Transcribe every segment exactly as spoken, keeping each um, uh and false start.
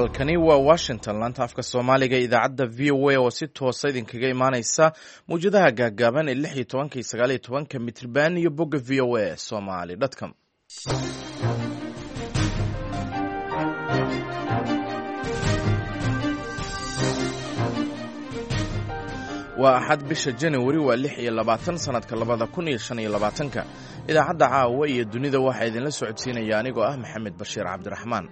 Halkani waa Washington, laanta afka Soomaaliga, idaacadda V O A oo si toosa idinkaga imaaneysa mawjadaha gaagaaban ee lix iyo tobanka iyo sagaal iyo tobanka mitriban iyo bogga V O A Somali com. Waa Axad, bisha Januari waa lix iyo labaatan sanadka labada kun iyo shan iyo labaatanka. Idaacadda Caawa iyo Dunida waxaa idinla socodsiinaya anigoo ah Maxamed Bashiir Cabdiraxmaan.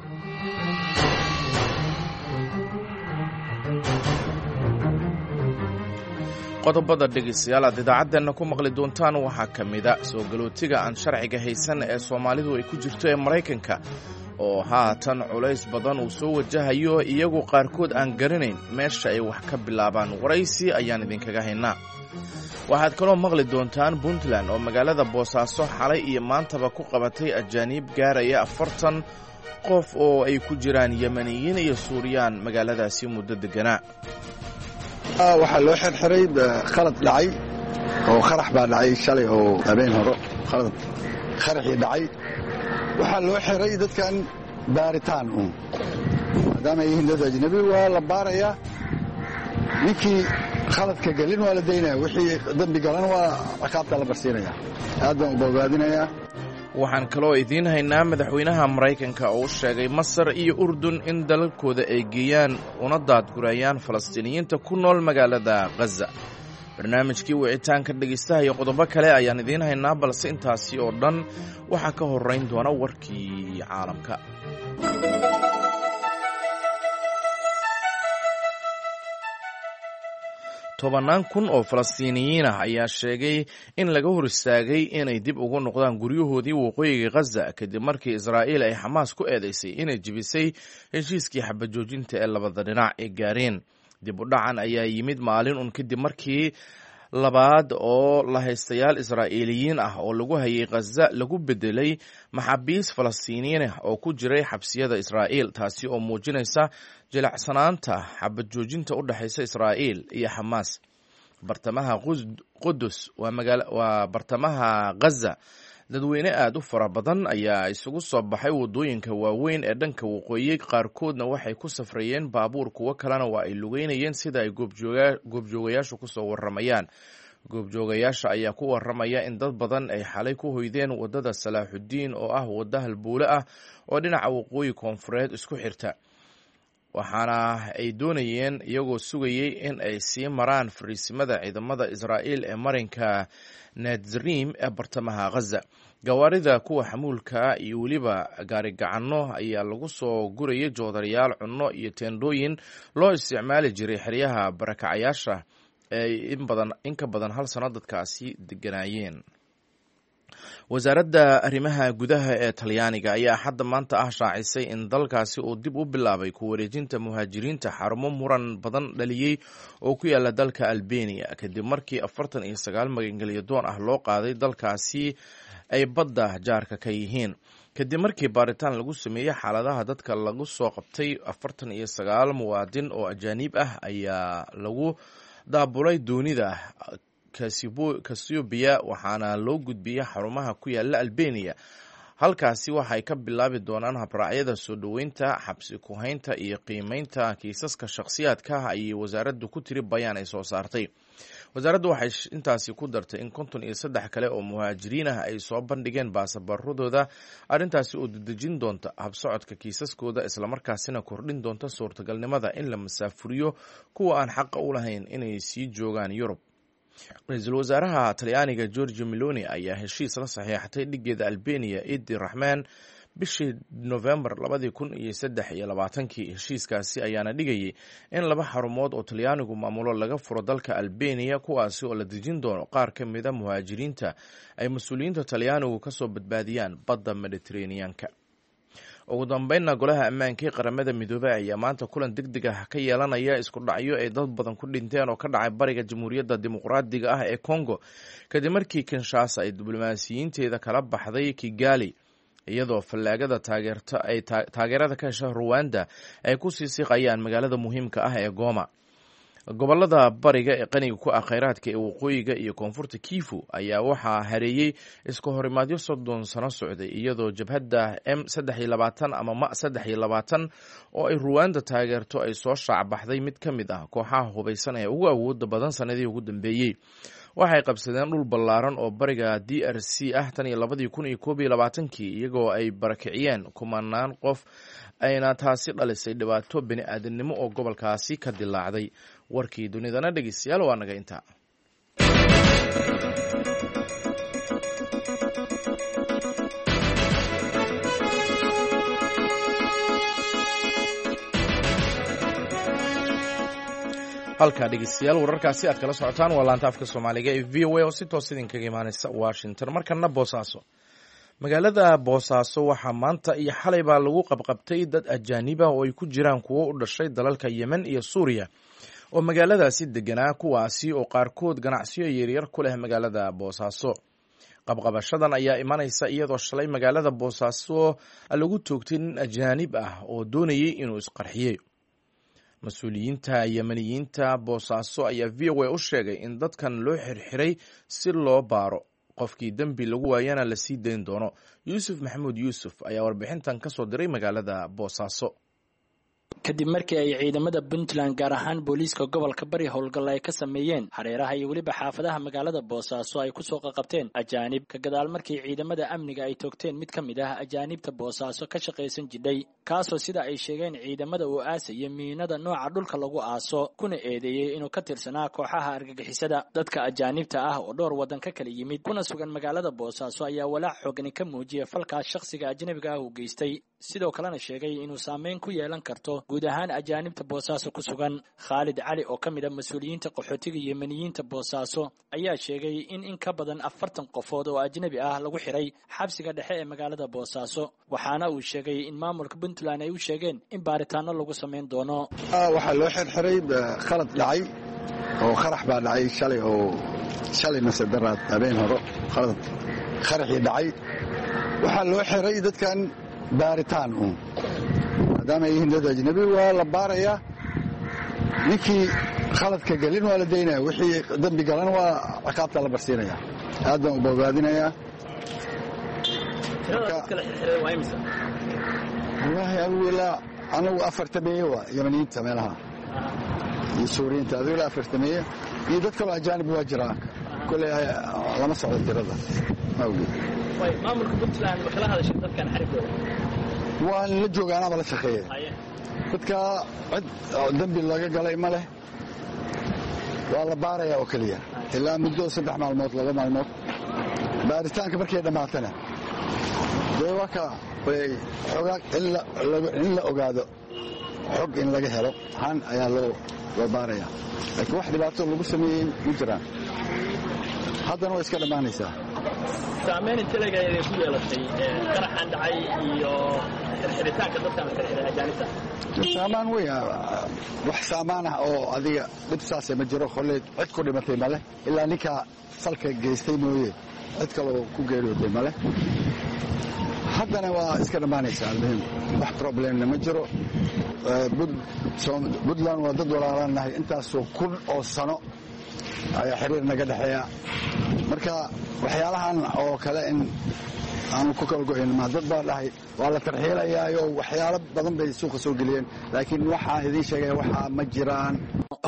Qodobada dhegeystayaal aad idaacaddeena ku maqli doontaan waxaa ka mida soo galootiga aan sharciga haysan ee Soomaalidu ay ku jirto ee Maraykanka oo haatan culays badan uu soo wajahayo, iyagu qaarkood aan garanayn meesha ay wax ka bilaabaan. Waraysi ayaan idinkaga haynaa. Waxaad kaloo maqli doontaan Puntland oo magaalada Boosaaso xalay iyo maantaba ku qabatay ajaaniib gaaraya afartan qof oo ay ku jiraan Yemeniyiin iyo Suuriyaan magaaladaasi muddo deganaa. Waxaa loo xirxiray khalad dhacay oo qarax baa dhacay shalay oo habeen horo, khalad qaraxii dhacay. Waxaa loo xiray dadkan baaritaan uun, maadaama ay yihiin dad ajnabi waa la baarayaa. Ninkii khaladka gelin waa la daynaya, wixii dembi galan waa ciqaabta la barsiinaya. Aad baan u bogaadinayaa. Waxaan kaloo idiin haynaa madaxweynaha Maraykanka oo u sheegay Masar iyo Urdun in dalalkooda ay geeyaan una daadgurayaan Falastiiniyiinta ku nool magaalada Khaza. Barnaamijkii wicitaanka dhegeystaha iyo qodobo kale ayaan idiin haynaa, balse intaasi oo dhan waxaa ka horeyn doona warkii caalamka. Tobannaan kun oo Falastiiniyiin ah ayaa sheegay in laga hor istaagay inay dib ugu noqdaan guryahoodii waqooyiga Khaza kadib markii Israa'iil ay Xamaas ku eedeysay inay jebisay heshiiskii xabajoojinta ee labada dhinac ay gaareen. Dib u dhacan ayaa yimid maalin un kadib markii labaad oo la haystayaal Israa'iiliyiin ah oo lagu hayay Khaza lagu bedelay maxaabiis Falastiiniyiin ah oo ku jiray xabsiyada Israa'iil, taasi oo muujinaysa jilacsanaanta xabad joojinta u dhexaysa Israa'iil iyo Xamaas. Bartamaha Qudus, waa bartamaha Khaza, dadweyne aada u fara badan ayaa isugu soo baxay waddooyinka waaweyn ee dhanka waqooyi. Qaarkoodna waxay ku safrayeen baabuur, kuwo kalena waa ay lugeynayeen, sida ay goobjoogayaashu kusoo waramayaan. Goobjoogayaasha ayaa ku waramaya in dad badan ay xalay ku hoydeen waddada Salaaxudiin oo ah wadda halbuule ah oo dhinaca waqooyi koonfureed isku xirta, waxaana ay doonayeen iyagoo sugayay in ay sii maraan fariisimada ciidamada Israa'iil ee marinka Nadzrim ee bartamaha Khaza. Gawaarida kuwa xamuulka iyo weliba gaarigacanno ayaa lagu soo gurayay joodarayaal, cunno iyo teendhooyin loo isticmaali jiray xeryaha barakacayaasha ee in ka badan hal sano dadkaasi deganaayeen. Wasaaradda arrimaha gudaha ee Talyaaniga ayaa Axadda maanta ah shaacisay in dalkaasi uu dib u bilaabay ku wareejinta muhaajiriinta xarumo muran badan dhaliyey oo ku yaala dalka Albeniya, kadib markii afartan iyo sagaal magangelyo doon ah loo qaaday dalkaasi ay badda jaarka ka yihiin. Kadib markii baaritaan lagu sameeyey xaaladaha dadka lagu soo qabtay, afartan iyo sagaal muwaadin oo ajaaniib ah ayaa lagu daabulay doonida Kasiobia, waxaana loo gudbiyey xarumaha ku yaala Albeniya. Halkaasi waxay ka bilaabi doonaan habraacyada soo dhoweynta, xabsi ku-haynta iyo qiimeynta kiisaska shakhsiyaadka ah, ayay wasaaraddu ku tiri bayaan ay soo saartay. Wasaaraddu waxay intaasi ku dartay in konton iyo saddex kale oo muhaajiriin ah ay soo bandhigeen baasaboorradooda, arrintaasi oo dedejin doonta habsocodka kiisaskooda, islamarkaasina kordhin doonta suurtagalnimada in la masaafuriyo kuwa aan xaqa u lahayn inay sii joogaan Yurub. Ra-iisul wasaaraha Talyaaniga Georgia Meloni ayaa heshiis la saxiixatay dhigeeda Albeniya Idi Raxmaan bishii Novembar labadii kun iyo saddex iyo labaatankii. Heshiiskaasi ayaana dhigayay in laba xarumood oo Talyaanigu maamulo laga furo dalka Albeniya, kuwaasi oo la dejin doono qaar ka mida muhaajiriinta ay mas-uuliyiinta Talyaanigu kasoo badbaadiyaan badda Mediteraneanka. Ugu dambeynna, Golaha Ammaanka ee Qaramada Midoobey ayaa maanta kulan deg deg ah ka yeelanaya isku dhacyo ay dad badan ku dhinteen oo ka dhacay bariga Jamhuuriyadda Dimuqraadiga ah ee Congo, kadib markii Kinshasa ay diblomaasiyiinteeda kala baxday Kigali, iyadoo fallaagada taageerta ay taageerada ka hesha Ruwanda ay ku sii siqayaan magaalada muhiimka ah ee Goma. Gobolada bariga ee qaniga ku ah kheyraadka ee waqooyiga iyo koonfurta Kivu ayaa waxaa hareeyey iska horimaadyo soddon sano socday, iyadoo jabhadda M saddex iyo labaatan ama M saddex iyo labaatan oo ay Ruwanda taageerto ay soo shaacbaxday mid ka mid ah kooxaha hubaysan ee ugu awooda badan sanadihii ugu dambeeyey. Waxay qabsadeen dhul ballaaran oo bariga D R C ah tan iyo labadii kun iyo koob iyo labaatankii, iyagoo ay barakiciyeen kumanaan qof, ayna taasi dhalisay dhibaato bini aadamnimo oo gobolkaasi ka dilaacday. Warkii dunidana dhegeystayaal waa naga intaa. Halkaa dhegeystayaal wararkaasi aad kala socotaan waa laanta afka soomaaliga ee V O A oo si toos idinkaga imaaneysa Washington. Markana Boosaaso. Magaalada Boosaaso waxaa maanta iyo xalay baa lagu qabqabtay dad ajaaniba oo ay ku jiraan kuwo u dhashay dalalka Yemen iyo Suuriya oo magaaladaasi deganaa, kuwaasi oo qaarkood ganacsiyo yaryar ku leh magaalada Boosaaso. Qabqabashadan ayaa imanaysa iyadoo shalay magaalada Boosaaso lagu toogtay nin ajaanib ah oo doonayay inuu isqarxiyey. Mas-uuliyiinta Yemeniyiinta Boosaaso ayaa V O A u sheegay in dadkan loo xirxiray si loo baaro, qofkii dembi lagu waayana la sii dayn doono. Yuusuf Maxamuud Yuusuf ayaa warbixintan ka soo diray magaalada Boosaaso. Kadib markii ay ciidamada Puntland, gaar ahaan booliiska gobolka Bari, howlgalla ay ka sameeyeen hareeraha iyo weliba xaafadaha magaalada Boosaaso ay kusoo qaqabteen ajaanib, ka gadaal markii ciidamada amniga ay toogteen mid ka mid ah ajaanibta Boosaaso ka shaqaysan jidhay, kaasoo sida ay sheegeen ciidamada uu aasaya miinada nooca dhulka lagu aaso, kuna eedeeyey inuu ka tirsanaa kooxaha argagixisada. Dadka ajaanibta ah oo dhowr waddan ka kala yimid kuna sugan magaalada Boosaaso ayaa walaac xoogani ka muujiyay falkaas shakhsiga ajnabiga ah uu geystay, sidoo kalena sheegay inuu saameyn ku yeelan karto guud ahaan ajaanibta Boosaaso ku sugan. Khaalid Cali oo ka mid ah mas-uuliyiinta qaxootiga Yemeniyiinta Boosaaso ayaa sheegay in in ka badan afartan qofood oo ajnabi ah lagu xiray xabsiga dhexe ee magaalada Boosaaso, waxaana uu sheegay in maamulka Puntland ay u sheegeen in baaritaano lagu samayn doono. Waxaa loo xirxiray khalad dhacay oo qarax baa dhacay shalay, oo shalay mase daraad habeen horo khalad qaraxii dhacay. Waxaa loo xiray dadkan baaritaan uun, maadaama ay yihiin dad ajnabi waa la baarayaa, ninkii khaladka gelin waa la daynaya, wixii dembi galan waa ciqaabta la barsiinaya. Aad baan u bogaadinayaa. Wallaahi adigu ilaa anagu afartameeye waa Yemeniyiinta meelaha iyo Suuriyiinta, adigu ilaa afartameeye iyo dad kaloo ajaanib waa jiraa, kolley lama socdo tirada ma ogid. Maamulka Puntland ma kala hadashay dadkan xarigooda? Waan la jooga, anaaba la shaqeeya. Dadka cid dembi laga galay ma leh, waa la baarayaa oo keliya ilaa muddo saddex maalmood laba maalmood. Baaritaanka markay dhammaatana dee waa ka xogaa in la ogaado, xog in laga helo ahaan ayaa loo loo baarayaa, laakiin wax dhibaato lagu sameeyey ma jiraan. Haddana way iska dhammaanaysaa. Saameyn intelega ayay ku yeelatay qaraxan dhacay iyo xirxiritaanka dadkan la xirxiray ajaanibta? Saamaan weyn, wax saamaan ah oo adiga dhib saase ma jiro. Kolley cid ku dhimatay male ilaa ninkaa salka geystay mooye, cid kaloo ku geeriyootay male. Haddana waa iska dhammaanaysaa. Almuhim wax problemna ma jiro. Puntland waa dad walaalaan nahay, intaasoo kun oo sano ayaa xiriir naga dhexeeya. Marka waxyaalahan oo kale in aanu ku kala go'in ma dad baa dhahay waa la tarxiilayaayo, waxyaalo badan bay suuqa soo geliyeen, laakiin waxaa idiin sheegaya waxaa ma jiraan.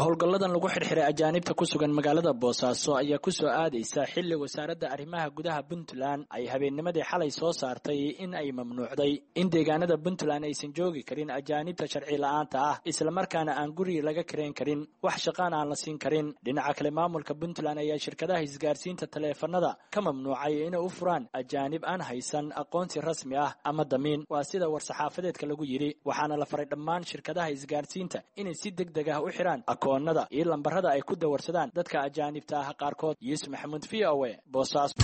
Howlgalladan lagu xirxiray ajaanibta ku sugan magaalada Boosaaso ayaa ku soo aadaysa xilli wasaaradda arrimaha gudaha Puntland ay habeennimadii xalay soo saartay in ay mamnuucday in deegaanada Puntland aysan joogi karin ajaanibta sharci la'aanta ah, islamarkaana aan guri laga karayn karin, wax shaqaan aan la siin karin. Dhinaca kale, maamulka Puntland ayaa shirkadaha isgaarsiinta taleefanada ka mamnuucay inay u furaan ajaanib aan haysan aqoonsi rasmi ah ama damiin, waa sida war-saxaafadeedka lagu yidhi. Waxaana la faray dhammaan shirkadaha isgaarsiinta inay si deg deg ah u xiraan akoonada iyo lambarada ay ku dawarsadaan dadka ajaanibta ah qaarkood. Yuusuf Maxamuud, V O A, Boosaaso.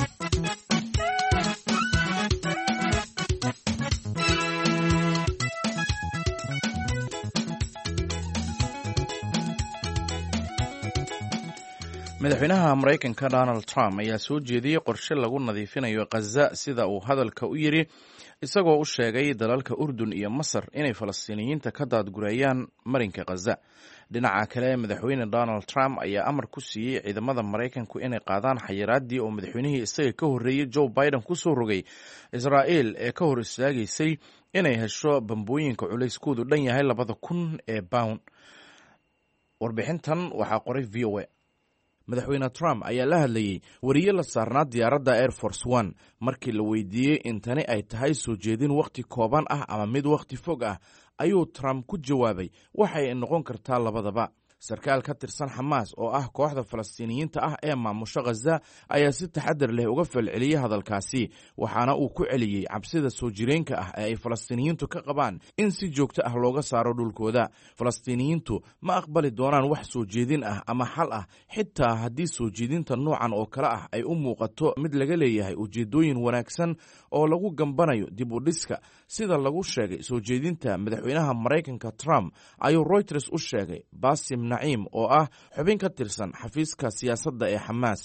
Madaxweynaha Maraykanka Donald Trump ayaa soo jeediyey qorshe lagu nadiifinayo Khaza, sida uu hadalka u yidhi, isagoo u sheegay dalalka Urdun iyo Masar inay Falastiiniyiinta ka daadgureeyaan marinka Khaza. Dhinaca kale, Madaxweyne Donald Trump ayaa amar ku siiyey ciidamada Maraykanku inay qaadaan xayiraaddii oo madaxweynihii isaga ka horreeyey Joe Biden ku soo rogay Israa'iil ee ka hor istaagaysay inay hesho bambooyinka culayskoodu dhan yahay labada kun ee bown. Warbixintan waxaa qoray V O A. Madaxweyne Trump ayaa la hadlayey wariye la saarnaa diyaaradda Air Force One. Markii la weydiiyey in tani ay tahay soo jeedin wakhti kooban ah ama mid wakhti fog ah, ayuu Trump ku jawaabay, waxay noqon kartaa labadaba. Sarkaal ka tirsan Xamaas oo ah kooxda Falastiiniyiinta ah ee maamusho Khaza ayaa si taxadar leh uga falceliyey hadalkaasi, waxaana uu ku celiyey cabsida soo jireenka ah ee ay Falastiiniyiintu ka qabaan in si joogto ah looga saaro dhulkooda. Falastiiniyiintu ma aqbali doonaan wax soo jeedin ah ama xal ah, xitaa haddii soo jeedinta noocan oo kale ah ay u muuqato mid laga leeyahay ujeedooyin wanaagsan oo lagu gambanayo dib u dhiska, sida lagu sheegay soo jeedinta madaxweynaha Maraykanka Trump, ayuu Reuters u sheegay Basim Naciim oo ah xubin ka tirsan xafiiska siyaasadda ee Xamaas.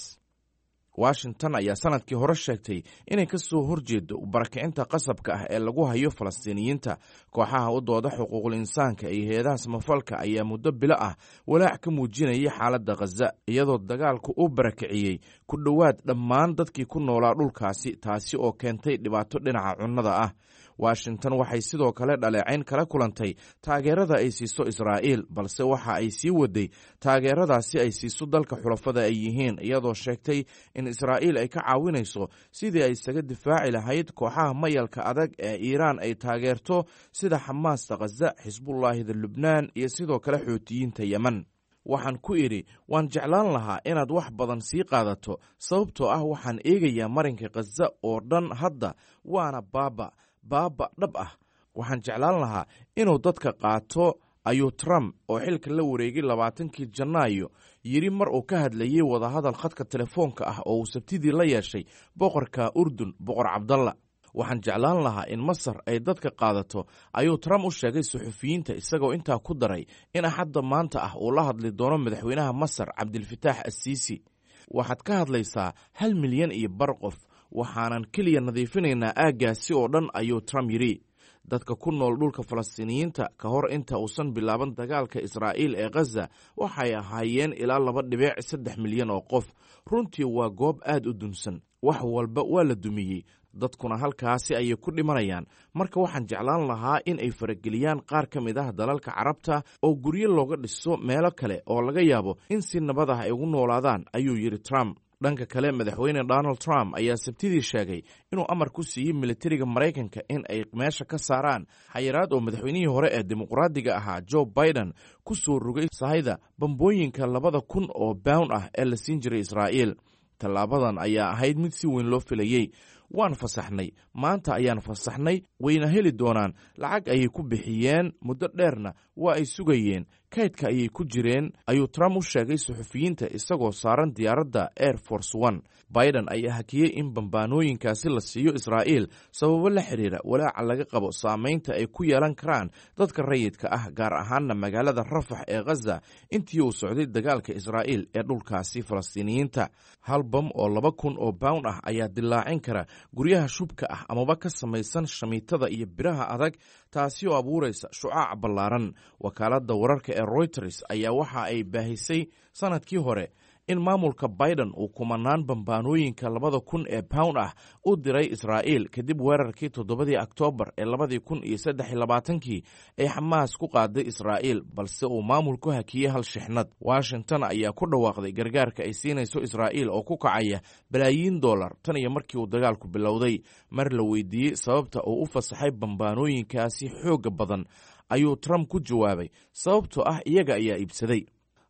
Washington ayaa sanadkii hore sheegtay inay ka soo horjeedo barakicinta qasabka ah ee lagu hayo Falastiiniyiinta. Kooxaha u dooda xuquuqul insaanka iyo hay-adaha samafalka ayaa muddo bilo ah walaac ka muujinayay xaaladda Khaza, iyadoo dagaalku u barakiciyey ku dhowaad dhammaan dadkii ku noolaa dhulkaasi, taasi oo keentay dhibaato dhinaca cunnada ah. Washington waxay sidoo kale dhaleecayn kala kulantay taageerada ay siiso Israa'iil, balse waxa ay sii waday taageeradaasi ay siiso dalka xulafada ay yihiin, iyadoo sheegtay in Israa'iil ay ka caawinayso sidii ay isaga difaaci lahayd kooxaha mayalka adag ee Iiraan ay taageerto sida Xamaasta Khaza, Xisbullaahida Lubnaan iyo sidoo kale Xuutiyiinta Yemen. Waxaan ku idhi, waan jeclaan lahaa inaad wax badan sii qaadato, sababtoo ah waxaan eegayaa marinka Khaza oo dhan hadda, waana baaba baaba dhab ah. Waxaan jeclaan lahaa inuu dadka qaato, ayuu Trump oo xilka la wareegay labaatankii Janaayo yidhi mar uu ka hadlayey wadahadal khadka telefoonka ah oo uu Sabtidii la yeeshay boqorka Urdun, Boqor Cabdalla. Waxaan jeclaan lahaa in Masar ay dadka qaadato, ayuu Trump u sheegay suxufiyiinta, isagoo intaa ku daray in Axadda maanta ah uu la hadli doono madaxweynaha Masar Cabdilfitaax Assiisi. Waxaad ka hadlaysaa hal milyan iyo bar qof, waxaanan keliya nadiifinaynaa aaggaasi oo dhan, ayuu Trump yidhi. Dadka ku nool dhulka Falastiiniyiinta ka hor inta uusan bilaaban dagaalka Israa'iil ee Khaza waxay ahaayeen ilaa laba dhibic saddex milyan oo qof. Runtii waa goob aad u dunsan, wax walba waa la dumiyey, dadkuna halkaasi ayay ku dhimanayaan. Marka waxaan jeclaan lahaa in ay farageliyaan qaar ka mid ah dalalka Carabta oo guryo looga dhiso meelo kale oo laga yaabo in si nabad ah ay ugu noolaadaan, ayuu yidhi Trump. Dhanka kale, Madaxweyne Donald Trump ayaa Sabtidii sheegay inuu amar ku siiyey militariga Maraykanka in ay meesha ka saaraan xayiraad oo madaxweynihii hore ee dimuqraadiga ahaa Joe Biden ku soo rogay sahayda bambooyinka labada kun oo bown ah ee la siin jiray Israa'iil. Tallaabadan ayaa ahayd mid si weyn loo filayey. Waan fasaxnay, maanta ayaan fasaxnay, wayna heli doonaan. Lacag ayay ku bixiyeen, muddo dheerna waa ay sugayeen, kaydka ayay ku jireen, ayuu Trump u sheegay suxufiyiinta isagoo saaran diyaaradda Air Force One. Biden ayaa hakiyey in bambaanooyinkaasi la siiyo Israa'iil sababo la xiriira walaaca laga qabo saameynta ay ku yeelan karaan dadka rayidka ah, gaar ahaana magaalada Rafax ee Khaza intii uu socday dagaalka Israa'iil ee dhulkaasi Falastiiniyiinta. Hal bam oo laba kun oo bown ah ayaa dilaacin kara guryaha shubka ah amaba ka samaysan shamiitada iyo biraha adag, taasi oo abuuraysa shucaac ballaaran. Wakaaladda wararka ee Reuters ayaa waxa ay baahisay sanadkii hore in maamulka Biden uu kumanaan bambaanooyinka labada kun ee pound ah u diray Israa'iil kadib weerarkii toddobadii Oktoobar ee labadii kun iyo saddex iyo labaatankii ee Xamaas ku qaaday Israa'iil, balse uu maamulku hakiyey hal shixnad. Washington ayaa ku dhawaaqday gargaarka ay siinayso Israa'iil oo ku kacaya balaayiin dollar tan iyo markii uu dagaalku bilowday. Mar la weydiiyey sababta uu u fasaxay bambaanooyinkaasi xoogga badan, ayuu Trump ku jawaabay, sababtoo ah iyaga ayaa iibsaday.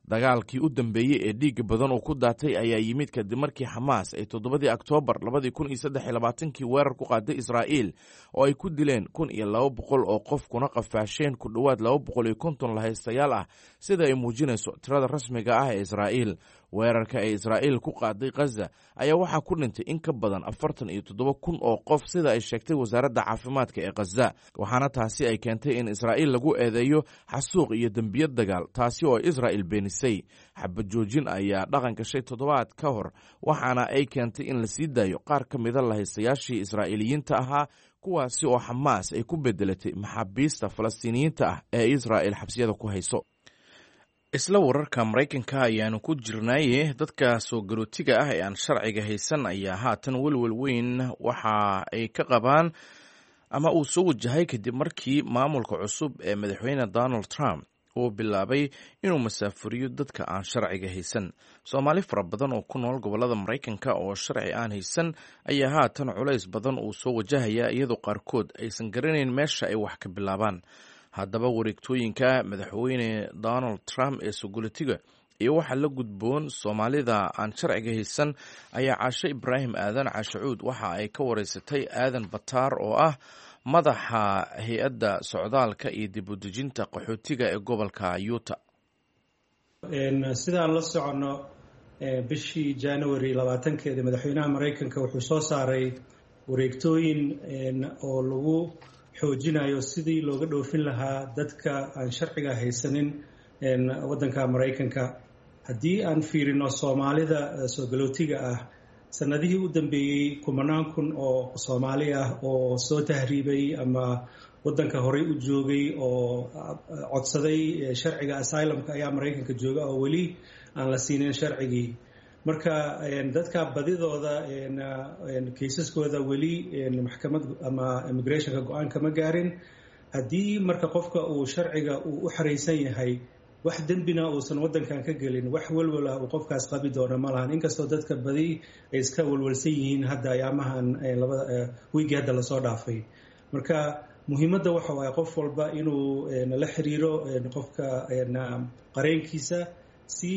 Dagaalkii u dambeeyey ee dhiigga badan uu ku daatay ayaa yimid kadib markii Xamaas ay toddobadii Oktoobar labadii kun iyo saddex iyo labaatankii weerar ku qaaday Israa'iil oo ay ku dileen kun iyo laba boqol oo qof kuna qafaasheen ku dhowaad laba boqol iyo konton lahaystayaal ah, sida ay muujinayso tirada rasmiga ah ee Israa'iil. Weerarka ee Israa'iil ku qaaday Khaza ayaa waxaa ku dhintay in ka badan afartan iyo toddoba kun oo qof, sida ay sheegtay wasaaradda caafimaadka ee Khaza, waxaana taasi ay keentay in Israa'iil lagu eedeeyo xasuuq iyo dembiyo dagaal, taasi oo Israa'il beenisay. Xabad joojin ayaa dhaqan gashay toddobaad ka hor, waxaana ay keentay in la sii daayo qaar ka mida lahaystayaashii Israa'iiliyiinta ahaa, kuwaasi oo Xamaas ay ku bedelatay maxaabiista Falastiiniyiinta ah ee Israa'il xabsiyada ku hayso. Isla wararka Maraykanka ayaanu ku jirnaaye, dadka soo galootiga ah ee aan sharciga haysan ayaa haatan welwel weyn waxa ay ka qabaan ama uu soo wajahay kadib markii maamulka cusub ee madaxweyne Donald Trump uu bilaabay inuu masaafuriyo dadka aan sharciga haysan. Soomaali fara badan oo ku nool gobollada Maraykanka oo sharci aan haysan ayaa haatan culays badan uu soo wajahaya, iyadoo qaarkood aysan garanayn meesha ay wax ka bilaabaan. Haddaba wareegtooyinka madaxweyne Donald Trump ee sogolitiga iyo waxa la gudboon Soomaalida aan sharciga haysan ayaa Caashe Ibraahim Aadan Caashacuud waxa ay ka wareysatay Aadan Bataar oo ah madaxa hay-adda socdaalka iyo dib u dejinta qaxootiga ee gobolka Utah. Sidaan la soconno, bishii January labaatankeeda madaxweynaha Maraykanka wuxuu soo saaray wareegtooyin oo lagu xoojinayo sidii looga dhoofin lahaa dadka aan sharciga haysanin waddanka Maraykanka. Haddii aan fiirino Soomaalida soo galootiga ah, sanadihii u dambeeyey kumanaan kun oo Soomaali ah oo soo tahriibay ama waddanka horey u joogay oo codsaday sharciga asylumka ayaa Maraykanka jooga oo weli aan la siinin sharcigii. Marka dadka badidooda kaysaskooda weli maxkamad ama immigrationka go-aan kama gaarin. Haddii marka qofka uu sharciga uu u xaraysan yahay, wax dembina uusan waddankan ka gelin, wax walwal ah uu qofkaas qabi doono ma lahan, inkastoo dadka badi ay iska walwalsan yihiin hadda ayaamahan labada wiigii hadda lasoo dhaafay. Marka muhiimadda waxa waaye qof walba inuu la xiriiro qofka qareenkiisa si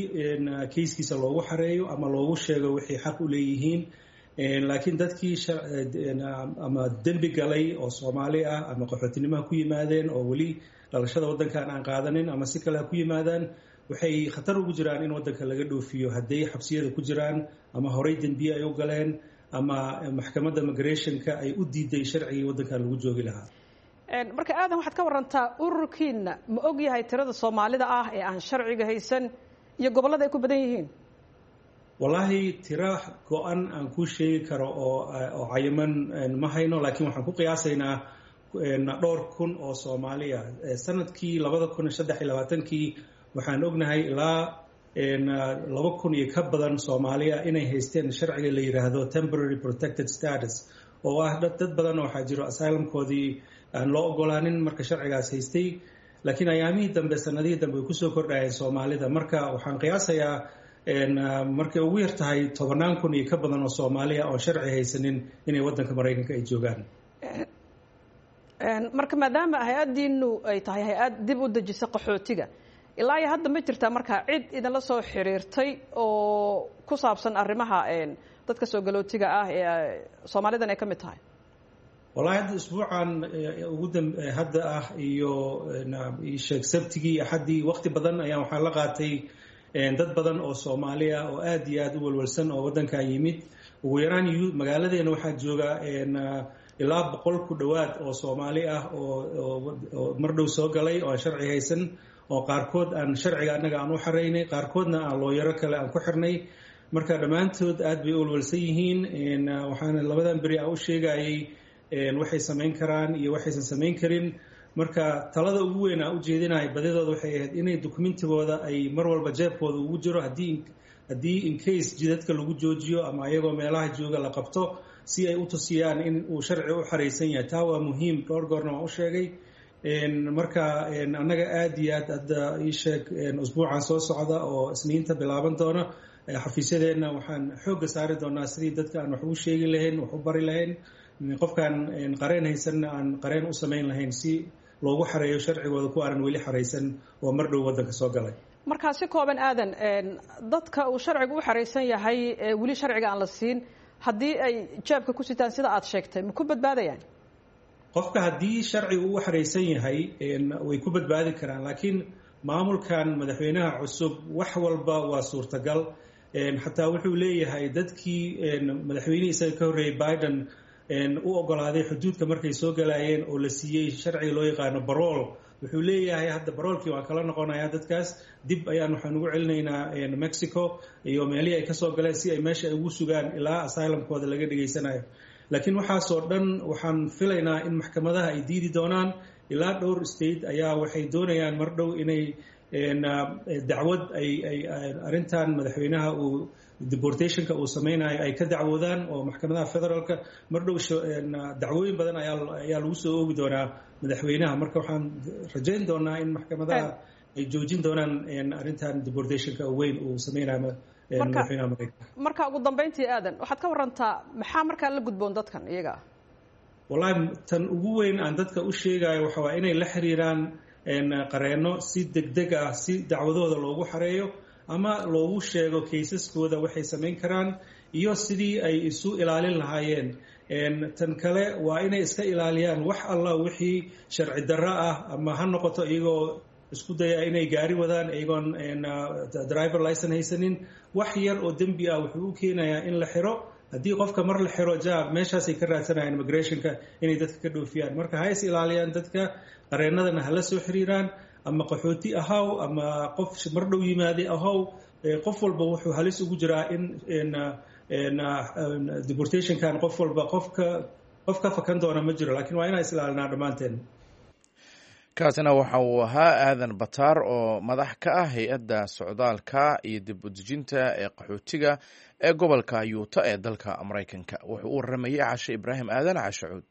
kayskiisa loogu xareeyo ama loogu sheego waxay xaq u leeyihiin. Laakiin dadkii ama dembi galay oo Soomaali ah ama qaxootinimaha ku yimaadeen oo weli dhalashada waddankan aan qaadanin ama si kale ha ku yimaadaan, waxay khatar ugu jiraan in waddanka laga dhoofiyo hadday xabsiyada ku jiraan ama horey dembiye ay u galeen ama maxkamadda migrationka ay u diiday sharcigii waddankan lagu joogi lahaa. Marka Aadan, waxaad ka warantaa ururkiina ma og yahay tirada Soomaalida ah ee aan sharciga haysan iyo gobollada ay ku badan yihiin? Wallaahi tiro go-an aan kuu sheegi karo oo oo cayiman ma hayno, laakiin waxaan ku qiyaasaynaa dhowr kun oo Soomaaliya. Sanadkii labada kun iyo saddex iyo labaatankii waxaan ognahay ilaa laba kun iyo ka badan Soomaaliya inay haysteen sharciga la yiraahdo temporary protected status, oo ah dad badan waxaa jiro asylumkoodii aan loo ogolaanin marka sharcigaas haystay. Laakiin ayaamihii dambe, sanadihii dambe, way kusoo kordhayeen Soomaalida. Marka waxaan qiyaasayaa markay ugu yar tahay tobannaan kun iyo ka badan oo Soomaaliya oo sharci haysanin inay waddanka Maraykanka ay joogaan. Marka maadaama hay-addiinu ay tahay hay-ad dib u dejisa qaxootiga, ilaa iyo hadda ma jirtaa markaa cid idinla soo xiriirtay oo ku saabsan arrimaha dadka soo galootiga ah ee Soomaalidan ay ka mid tahay? Wallahi hadda isbuucan ugu dam hadda ah iyo sheeg Sabtigii, Axaddii, waqti badan ayaan waxaan la qaatay dad badan oo Soomaali ah oo aad iyo aad u walwalsan oo waddankan yimid. Ugu yaraan magaaladeena waxaa jooga ilaa boqol ku dhowaad oo Soomaali ah oo mar dhow soo galay oo aan sharci haysan, oo qaarkood aan sharciga annaga aan u xaraynay, qaarkoodna aan looyaro kale aan ku xirnay. Marka dhammaantood aad bay u walwalsan yihiin. Waxaana labadan beri aan u sheegayay waxay samayn karaan iyo waxaysan samayn karin. Marka talada ugu weyn aan u jeedinahay badidooda waxay ahayd inay dukumentigooda ay mar walba jeebkooda ugu jiro, haddii haddii in case jidadka lagu joojiyo ama ayagoo meelaha jooga la qabto, si ay u tusiyaan in uu sharci u xaraysan yahay. Taa waa muhiim, dhowr goorna waan u sheegay. Marka annaga aad iyo aad hadda ii sheeg usbuucan soo socda oo Isniinta bilaaban doona, xafiisyadeenna waxaan xoogga saari doonaa sidii dadka aan wax ugu sheegi lahayn, wax u bari lahayn, qofkaan qareen haysanna aan qareen u samayn lahayn si loogu xareeyo sharcigooda ku aanan weli xaraysan oo mar dhow waddanka soo galay. Markaa si kooban Aadan, dadka uu sharcigu u xaraysan yahay ee weli sharciga aan la siin, haddii ay jeebka ku sitaan sida aad sheegtay, ma ku badbaadayaan? Qofka haddii sharcigu u xaraysan yahay way ku badbaadi karaan, laakiin maamulkan madaxweynaha cusub wax walba waa suurtagal. Xataa wuxuu leeyahay dadkii madaxweynihii isaga ka horreeyey Biden u ogolaaday xuduudka markay soo galayeen oo la siiyey sharciga loo yaqaano parole, wuxuu leeyahay hadda parole-kii waan kala noqonayaa dadkaas, dib ayaan waxaan ugu celinaynaa Mexico iyo meelihii ay kasoo galeen si ay meesha ay ugu sugaan ilaa asylumkooda laga dhegaysanayo. Laakiin waxaasoo dhan waxaan filaynaa in maxkamadaha ay diidi doonaan. Ilaa dhowr state ayaa waxay doonayaan mar dhow inay dacwad ay ay arrintan madaxweynaha uu deportationka uu sameynayo ay ka dacwoodaan oo maxkamadaha federaalka mar dhow dacwooyin badan ayaa ayaa lagu soo oogi doonaa madaxweynaha. Marka waxaan rajayn doonaa in maxkamadaha ay joojin doonaan arrintan deportationka weyn uu sameynayo madaxweynaha Maraykanka. Marka ugu dambeyntii, Aadan, waxaad ka warantaa maxaa markaa la gudboon dadkan iyaga ah? Wallahi, tan ugu weyn aan dadka u sheegayo waxa waa inay la xiriiraan qareenno si degdeg ah, si dacwadooda loogu xareeyo ama loogu sheego cases-kooda waxay samayn karaan iyo sidii ay isu ilaalin lahaayeen. Tan kale waa inay iska ilaaliyaan wax alla wixii sharci darro ah, ama ha noqoto iyagoo isku daya inay gaari wadaan iyagoon driver license haysanin. Wax yar oo dembi ah wuxuu u keenayaa in la xiro. Haddii qofka mar la xiro, jaab meeshaasay ka raadsanayaan immigrationka inay dadka ka dhoofiyaan. Marka ha is ilaaliyaan dadka, qareennadana hala soo xiriiraan. Ama qaxooti ahaw ama qof mar dhow yimaaday ahaw, qof walba wuxuu halis ugu jiraa in deportationkan qof walba qofka qof ka fakan doona ma jiro, lakiin waa inaan is ilaalinaa dhammaanteen. Kaasina waxa uu ahaa Aadan Bataar oo madax ka ah hay-adda socdaalka iyo dib udejinta ee qaxootiga ee gobolka Utah ee dalka Maraykanka. Wuxuu u waramayey Cashe Ibraahim Aadan, Cashacuud.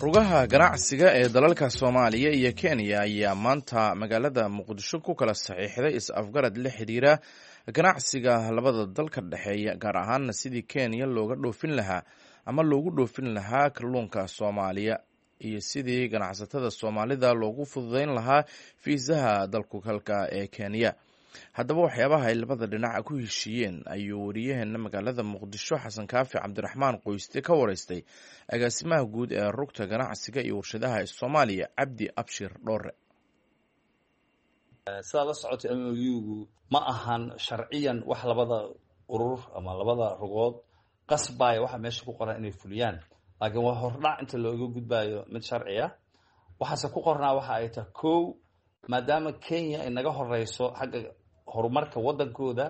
Rugaha ganacsiga ee dalalka Soomaaliya iyo Kenya ayaa maanta magaalada Muqdisho ku kala saxiixday is-afgarad la xiriira ganacsiga labada dal ka dhexeeya, gaar ahaana sidii Kenya looga dhoofin lahaa ama loogu dhoofin lahaa kalluunka Soomaaliya iyo sidii ganacsatada Soomaalida loogu fududeyn lahaa fiisaha dalkugalka ee Kenya. Haddaba, waxyaabaha ay labada dhinac ku heshiiyeen ayuu wariyaheena magaalada Muqdisho, Xasan Kaafi Cabdiraxmaan Qoyste, ka wareystay agaasimaha guud ee rugta ganacsiga iyo warshadaha ee Soomaaliya, Cabdi Abshir Dhoore. Sidaad la socotay, M O U-gu ma ahan sharciyan wax labada urur ama labada rugood qasbaya waxa meesha ku qoran inay fuliyaan, laakiin waa hordhac inta looga gudbayo mid sharci ah. Waxaase ku qornaa waxa ay tahay: kow, maadaama Kenya ay naga horeyso xagga horumarka waddankooda,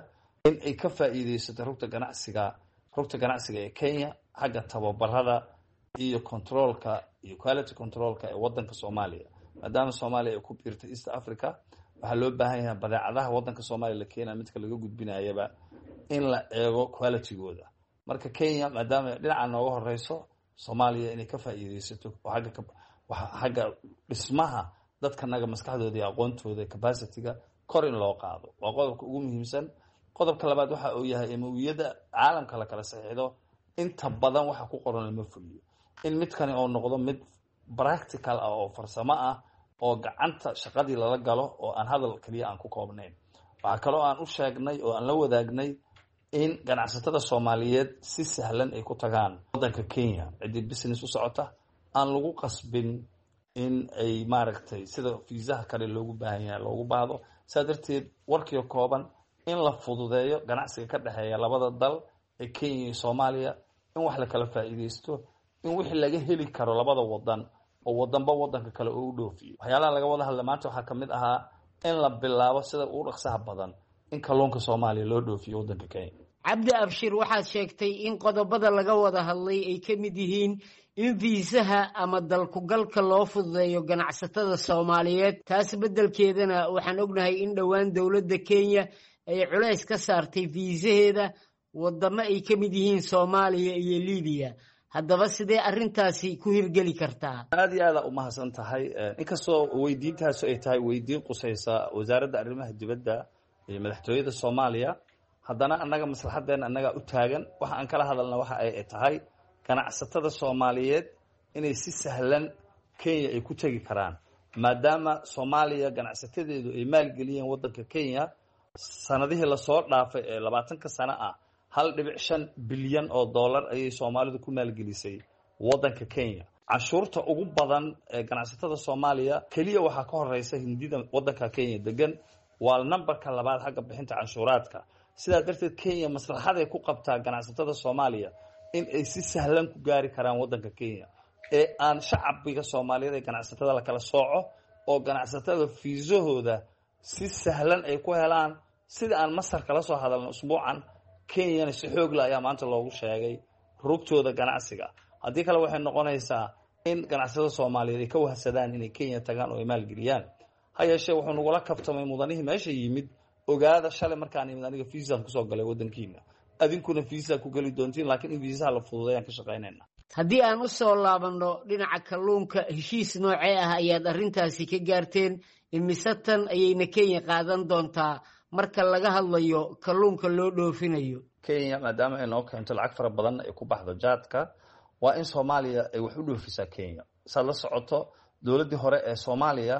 in ay ka faa'iideysato rugta ganacsiga rugta ganacsiga ee Kenya xagga tababarada iyo controlka iyo quality controlka ee waddanka Soomaaliya. Maadaama Soomaaliya ay ku biirtay East Africa, waxaa loo baahan yahay badeecadaha waddanka Soomaaliya la keenaya, midka laga gudbinayaba, in la eego qualitygooda. Marka Kenya maadaama dhinaca nooga horeyso, Soomaaliya inay ka faa'iideysato oo agga xagga dhismaha dadkanaga maskaxdooda iyo aqoontooda, capacityga kor in loo qaado, waa qodobka ugu muhiimsan. Qodobka labaad waxa uu yahay M O U-yada caalamka la kala saxiixdo inta badan waxa ku qoran lama fuliyo. In midkani oo noqdo mid practical ah oo farsamo ah oo gacanta shaqadii lala galo oo aan hadal kaliya aan ku koobnayn. Waxaa kaloo aan u sheegnay oo aan la wadaagnay in ganacsatada Soomaaliyeed si sahlan ay ku tagaan waddanka Kenya, ciddii business u socota aan lagu qasbin in ay maaragtay sida fiisaha kale loogu baahan yahay loogu baahdo. Saa darteed, warkiio kooban, in la fududeeyo ganacsiga ka dhexeeya labada dal ee Kenya iyo Soomaaliya, in wax la kala faa'iideysto, in wixii laga heli karo labada wadan oo wadanba wadanka kale oo u dhoofiyo. Waxyaalaha laga wada hadla maanta waxaa kamid ahaa in la bilaabo sida ugu dhaqsaha badan in kalluunka Soomaaliya loo dhoofiyo waddanka Kenya. Cabdi Abshir, waxaad sheegtay in qodobada laga wada hadlay ay ka mid yihiin in fiisaha ama dalkugalka loo fududeeyo ganacsatada Soomaaliyeed. Taas beddelkeedana waxaan ognahay in dhowaan dowladda Kenya ay culays ka saartay fiisaheeda waddamo ay ka mid yihiin Soomaaliya iyo Libiya. Haddaba, sidee arrintaasi ku hirgeli kartaa? Aad iyo aada umahadsan tahay. Inkastoo weydiintaasu ay tahay weydiin qusaysa wasaaradda arrimaha dibadda iyo madaxtooyada Soomaaliya, haddana annaga maslaxaddeena annagaa u taagan. Waxa aan kala hadalna waxa ay tahay ganacsatada Soomaaliyeed inay si sahlan Kenya ay ku tegi karaan, maadaama Soomaaliya ganacsatadeedu ay maalgeliyeen waddanka Kenya sanadihii lasoo dhaafay ee labaatanka sano ah. Hal dhibic shan bilyan oo dollar ayay Soomaalidu ku maalgelisay waddanka Kenya. Canshuurta ugu badan ee ganacsatada Soomaaliya keliya waxaa ka horeysa Hindida waddanka Kenya degan, waa numberka labaad xagga bixinta canshuuraadka. Sidaa darteed Kenya maslaxaday ku qabtaa ganacsatada Soomaaliya in ay si sahlan ku gaari karaan waddanka Kenya, ee aan shacbiga Soomaaliyeed ee ganacsatada la kala sooco oo ganacsatada fiisahooda si sahlan ay ku helaan. Sida aan Masar kala soo hadalno usbuucan, Kenyana si xoogla ayaa maanta loogu sheegay rugtooda ganacsiga. Haddii kale waxay noqonaysaa in ganacsatada Soomaaliyeed ay ka wahsadaan inay Kenya tagaan oo ay maalgeliyaan. Ha yeeshee wuxuu nagula kabtamay mudanihii meesha yimid: "Ogaada, shalay markaan yimid aniga fiisaan kusoo galay waddankiina, adinkuna fiisa ku geli doontiin, laakiin in fiisaha la fududeeyaan ka shaqaynayna." Haddii aan u soo laabanno dhinaca kalluunka, heshiis noocee ah ayaad arrintaasi ka gaarteen? Imise tan ayayna Kenya qaadan doontaa marka laga hadlayo kalluunka loo dhoofinayo? Kenya maadaama ay noo keento lacag fara badan ay ku baxdo jaadka, waa in Soomaaliya ay wax u dhoofisaa Kenya. Saad la socoto, dowladdii hore ee Soomaaliya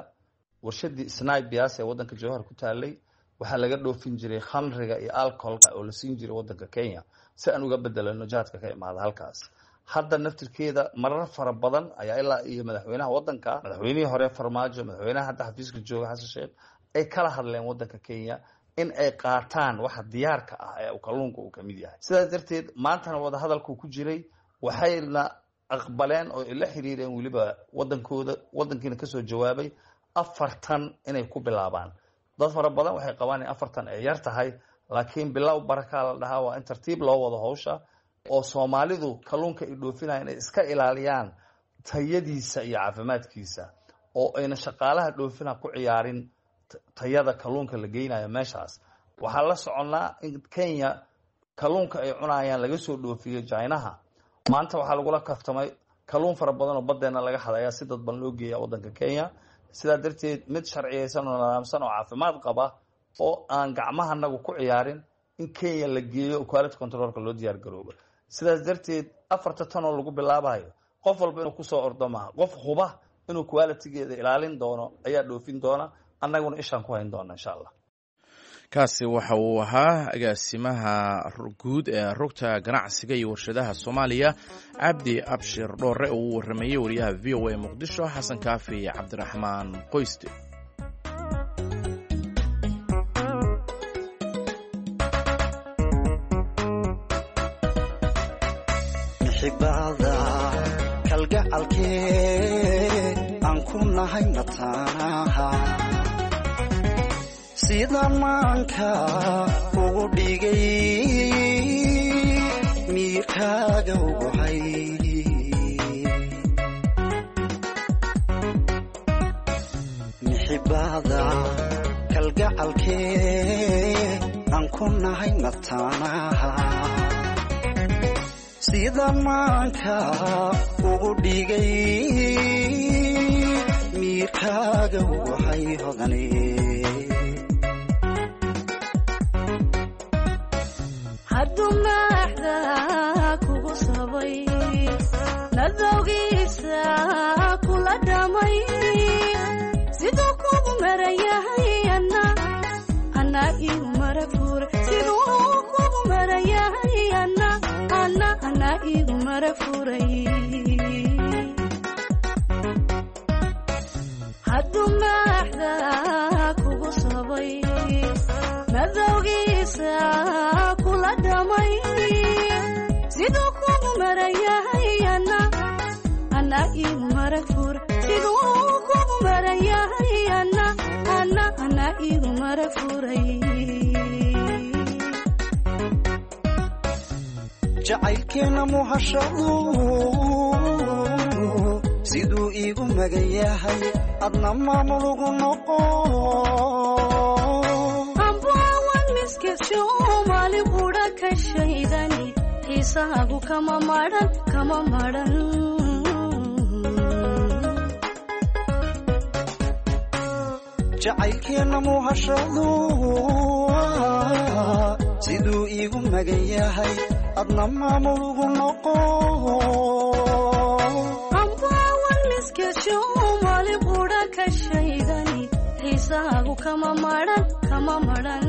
warshadii Snibias ee waddanka Jowhar ku taalay waxaa laga dhoofin jiray khamriga iyo alcoholka oo la siin jiray waddanka Kenya, si aan uga bedelano jaadka ka imaada halkaas. Hadda naftirkeeda marar fara badan ayaa ilaa iyo madaxweynaha waddanka, madaxweynihii hore Farmaajo, madaxweynaha hadda xafiiska jooga Xasan Sheekh, ay kala hadleen waddanka Kenya in ay qaataan waxa diyaarka ah ee kalluunka uu kamid yahay. Sidaas darteed maantana wadahadalku ku jiray, waxayna aqbaleen oo ay la xiriireen weliba waddankooda, waddankiina kasoo jawaabay afartan inay ku bilaabaan. Dad fara badan waxay qabaan in afartan ay yar tahay, laakiin bilow barakaa la dhahaa. Waa in tartiib loo wado hawsha oo Soomaalidu kalluunka ay dhoofinayaan inay iska ilaaliyaan tayadiisa iyo caafimaadkiisa, oo ayna shaqaalaha dhoofina ku ciyaarin tayada kalluunka la geynayo meeshaas. Waxaan la soconnaa in Kenya kalluunka ay cunayaan laga soo dhoofiyo Jinaha. Maanta waxaa lagula kaftamay kalluun fara badan oo baddeena laga xadayaa si dadban loo geeya waddanka Kenya. Sidaa darteed mid sharciyeysan oo nidaamsan oo caafimaad qaba oo aan gacmahanagu ku ciyaarin in Kenya la geeyo, quality controlka loo diyaar garoobo. Sidaas darteed afarta tan oo lagu bilaabayo, qof walba inuu kusoo ordo maaha. Qof huba inuu qualitygeeda ilaalin doono ayaa dhoofin doona, annaguna ishaan ku hayn doona, insha Allah. Kaasi waxa uu ahaa agaasimaha guud ee Rugta Ganacsiga iyo Warshadaha Soomaaliya, Cabdi Abshir Dhoore, oo uu waramayey wariyaha V O A Muqdisho, Xasan Kaafi Cabdiraxmaan Qoyste. Mixibada kalgacalkee aan ku nahay mataanaha, sida maanka ugu dhigay miyirkaaga ugu hay. Mixibada kalgacalkee aan ku nahay mataanaha, sida maanka ugu dhigay miyirkaaga ugu hay hodane. Hadduu maaxda kugu sabay, madowgiisa kula dhamay, siduu kugu marayahay ana anaa igu mara furay, siduu kugu marayahay ana ana anaa igu mara furay. Hadduu maaxda kugu sabay, madowgiisa kula dhamay, siduu kugu marayahay ana anaa igu mara furay, siduu kugu marayahay ana ana anaa igu mara furay. Jacaylkeena muhashadu siduu iigu magan yahay, adna maamulugu noqo. Ambaawan miskesho maalin qudha ka shaydani, xiisahaagu kama madhan, kama madhan. Jacaylkeena muhashadu siduu iigu magan yahay, adna maamulugu noqo. Ambaawan miskesho maalin qudha ka shaydani, xiisahaagu kama madhan, kama madhan.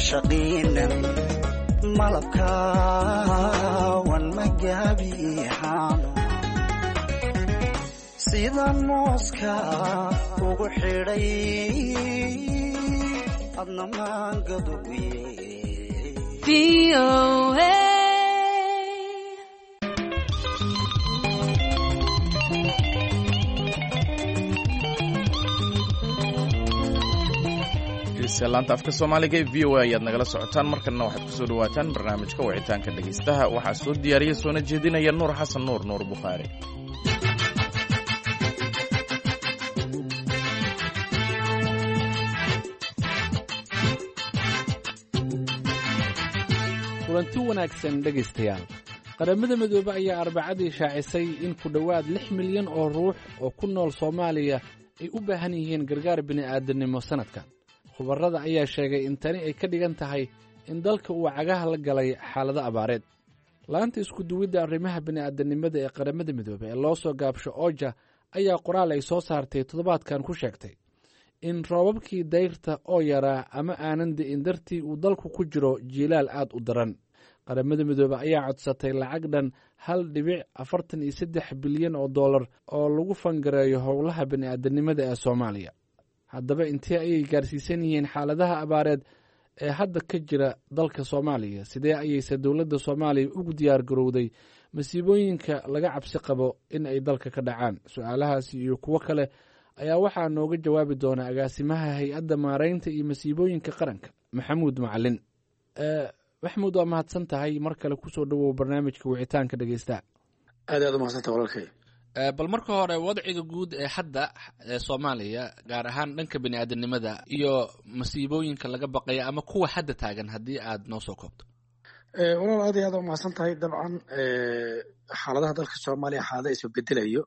Caashaqiinan malabkaawan magaabiixaano sida mooska ugu xidhay adna maangaduye. Laanta afka soomaaliga ee V O A ayaad nagala socotaan. Markanna waxaad kusoo dhawaataan barnaamijka wicitaanka dhegaystaha. Waxaa soo diyaariya soona jeedinaya Nuur Xasan Nuur, Nuur Bukhaari. Kulanti wanaagsan dhegaystayaal. Qaramada Midoobe ayaa Arbacadii shaacisay in ku dhowaad lix milyan oo ruux oo ku nool Soomaaliya ay u baahan yihiin gargaar bini'aadannimo sannadkan. Khubarrada ayaa sheegay in tani ay ka dhigan tahay in dalka uu cagaha la galay xaalado abaareed. Laanta iskuduwidda arrimaha bini'aadanimada ee Qaramada Midoobe ee loo soo gaabsho OJA ayaa qoraal ay soo saartay toddobaadkan ku sheegtay in roobabkii dayrta oo yaraa ama aanan di'in dartii uu dalku ku jiro jiilaal aad u daran. Qaramada Midoobe ayaa codsatay lacag dhan hal dhibic afartan iyo saddex bilyan oo dollar oo lagu fangareeyo howlaha bini'aadanimada ee Soomaaliya. Haddaba intee ayay gaarsiisan yihiin xaaladaha abaareed ee hadda ka jira dalka Soomaaliya? Sidee ayayse dowladda Soomaaliya ugu diyaar garowday masiibooyinka laga cabsi qabo in ay dalka ka dhacaan? Su-aalahaasi iyo kuwo kale ayaa waxaa nooga jawaabi doona agaasimaha Hay-adda Maareynta iyo Masiibooyinka Qaranka, Maxamuud Macalin. Maxamuud, waa mahadsan tahay. Mar kale kusoo dhowow barnaamijka wicitaanka dhegeysta. Aad aad umahadsanta, walaalkay. Bal marka hore wadciga guud ee hadda ee Soomaaliya, gaar ahaan dhanka bini'aadanimada iyo masiibooyinka laga baqaya ama kuwa hadda taagan, haddii aad noo soo koobto. Walaal, aad iyo aad umahadsan tahay. Dabcan xaaladaha dalka Soomaaliya xaalada isbedelayo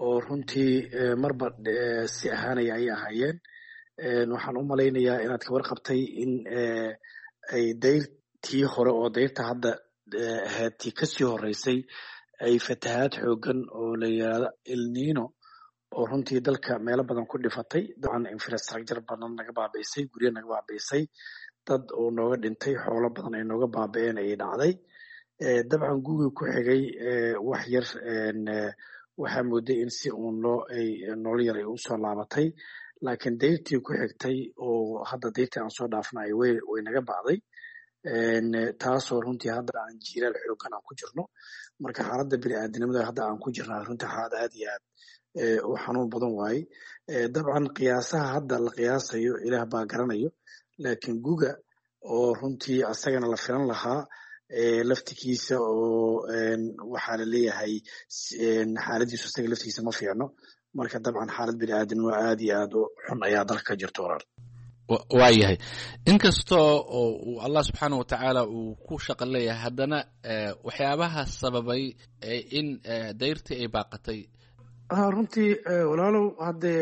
oo runtii marba si ahaanaya ayay ahaayeen. Waxaan u malaynayaa inaad ka warqabtay in ay dayrtii hore oo dayrta hadda ahayd tii kasii horeysay ay fatahaad xoogan oo la yiraahdo El Nino oo runtii dalka meelo badan ku dhifatay. Dabcan infrastructure badan naga baabi'isay, guryo naga baabi'isay, dad oo nooga dhintay, xoolo badan ay nooga baabi'een ayay dhacday. Dabcan gugii ku xigay wax yar waxaa mooday in si uun loo ay nolol yar ay usoo laabatay, laakiin dayrtii ku xigtay oo hadda dayrtii aan soo dhaafnay way way naga bacday, taasoo runtii hadda aan jiilaal xoogan aan ku jirno. Marka xaaladda bini'aadanimada hadda aan ku jirnaa runtii xaalad aad iyo aad u xanuun badan waaye. Dabcan qiyaasaha hadda la qiyaasayo Ilaah baa garanayo, laakiin guga oo runtii asagana la filan lahaa laftigiisa oo waxaa la leeyahay xaaladiisu asaga laftigiisa ma fiicno. Marka dabcan xaalad bini'aadanimo aad iyo aad u xun ayaa dalka ka jirta, walaal. Waa yahay. Inkastoo oo uu Allah subxaana wa tacaala uu ku shaqo leeyahay, haddana waxyaabaha sababay in dayrtii ay baaqatay? Runtii walaalow, haddee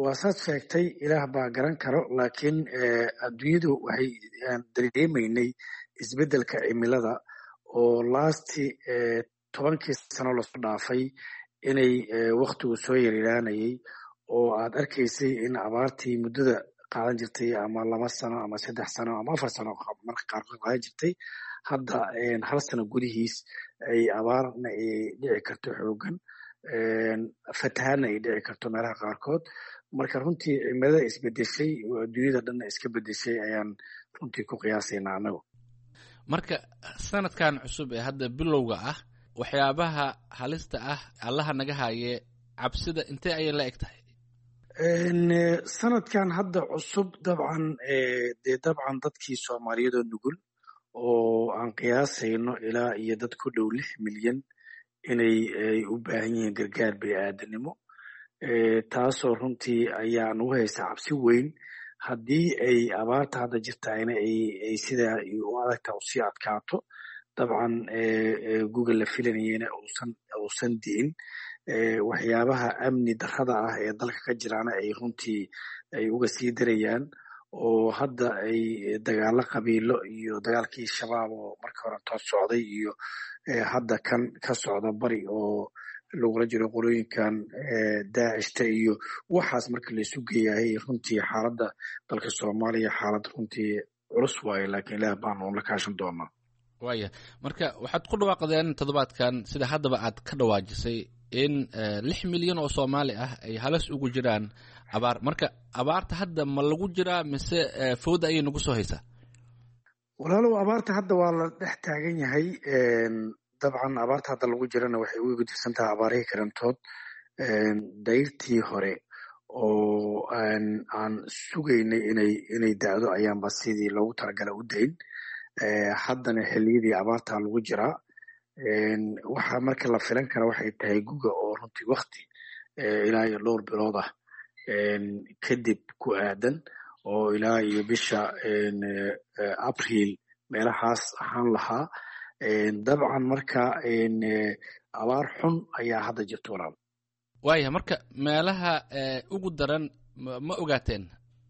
waa saad sheegtay, Ilaah baa garan karo, laakiin adduunyadu waxay dareemaynay isbeddelka cimilada oo lasti tobankii sano lasoo dhaafay inay waktigu soo yaryaraanayay oo aad arkaysay in abaartii muddada qaadan jirtay ama laba sano ama saddex sano ama afar sano marka qaarkood qaadan jirtay, hadda hal sano gudihiis ay abaarna ay dhici karto xoogan, fatahaadna ay dhici karto meelaha qaarkood. Marka runtii cimilada isbedeshay oo adduunyada dhanna iska bedeshay ayaan runtii ku qiyaasaynaa anagu. Marka sanadkan cusub ee hadda bilowga ah, waxyaabaha halista ah, Allaha naga haye, cabsida intee ayay la eg tahay? Sanadkan hadda cusub dabcan dee dabcan dadkii Soomaaliyeed oo nugul oo aan qiyaasayno ilaa iyo dad ku dhow lix milyan inay ay u baahan yihiin gargaar bini'aadanimo, taasoo runtii ayaa nagu haysaa cabsi weyn haddii ay abaarta hadda jirtayna ay sidaa u adagta usii adkaato. Dabcan guga la filanayena uusan uusan di'in, waxyaabaha amni darrada ah ee dalka ka jiraana ay runtii ay uga sii darayaan oo hadda ay dagaalo qabiilo iyo dagaalkii Shabaab oo markii hore toos socday iyo hadda kan ka socda bari oo lagula jiro qolooyinkan daacishta iyo waxaas marka laisu geeyahay runtii xaaladda dalka Soomaaliya xaalad runtii culus waaye, laakiin Ilaah baanu la kaashan doonaa. Waaya, marka waxaad ku dhawaaqdeen toddobaadkan, sida haddaba aad ka dhawaajisay, in lix milyan oo Soomaali ah ay halis ugu jiraan abaar. Marka abaarta hadda ma lagu jiraa mise fooda ayay nagu soo haysaa? Walaalow, abaarta hadda waa la dhex taagan yahay. Dabcan abaarta hadda lagu jirana waxay uga gudubsan tahay abaarihii karantood. Dayrtii hore oo aan sugaynay inay inay dacdo ayaanba sidii loogu talagalay u dayn. Haddana xilliyadii abaarta lagu jiraa. Waxaa marka la filan kara waxay tahay guga oo runtii wakti ilaa iyo dhowr bilood ah kadib ku aadan, oo ilaa iyo bisha Abriil meelahaas ahaan lahaa. Dabcan marka abaar xun ayaa hadda jirta, walaal. Waaya, marka meelaha ugu daran ma ogaateen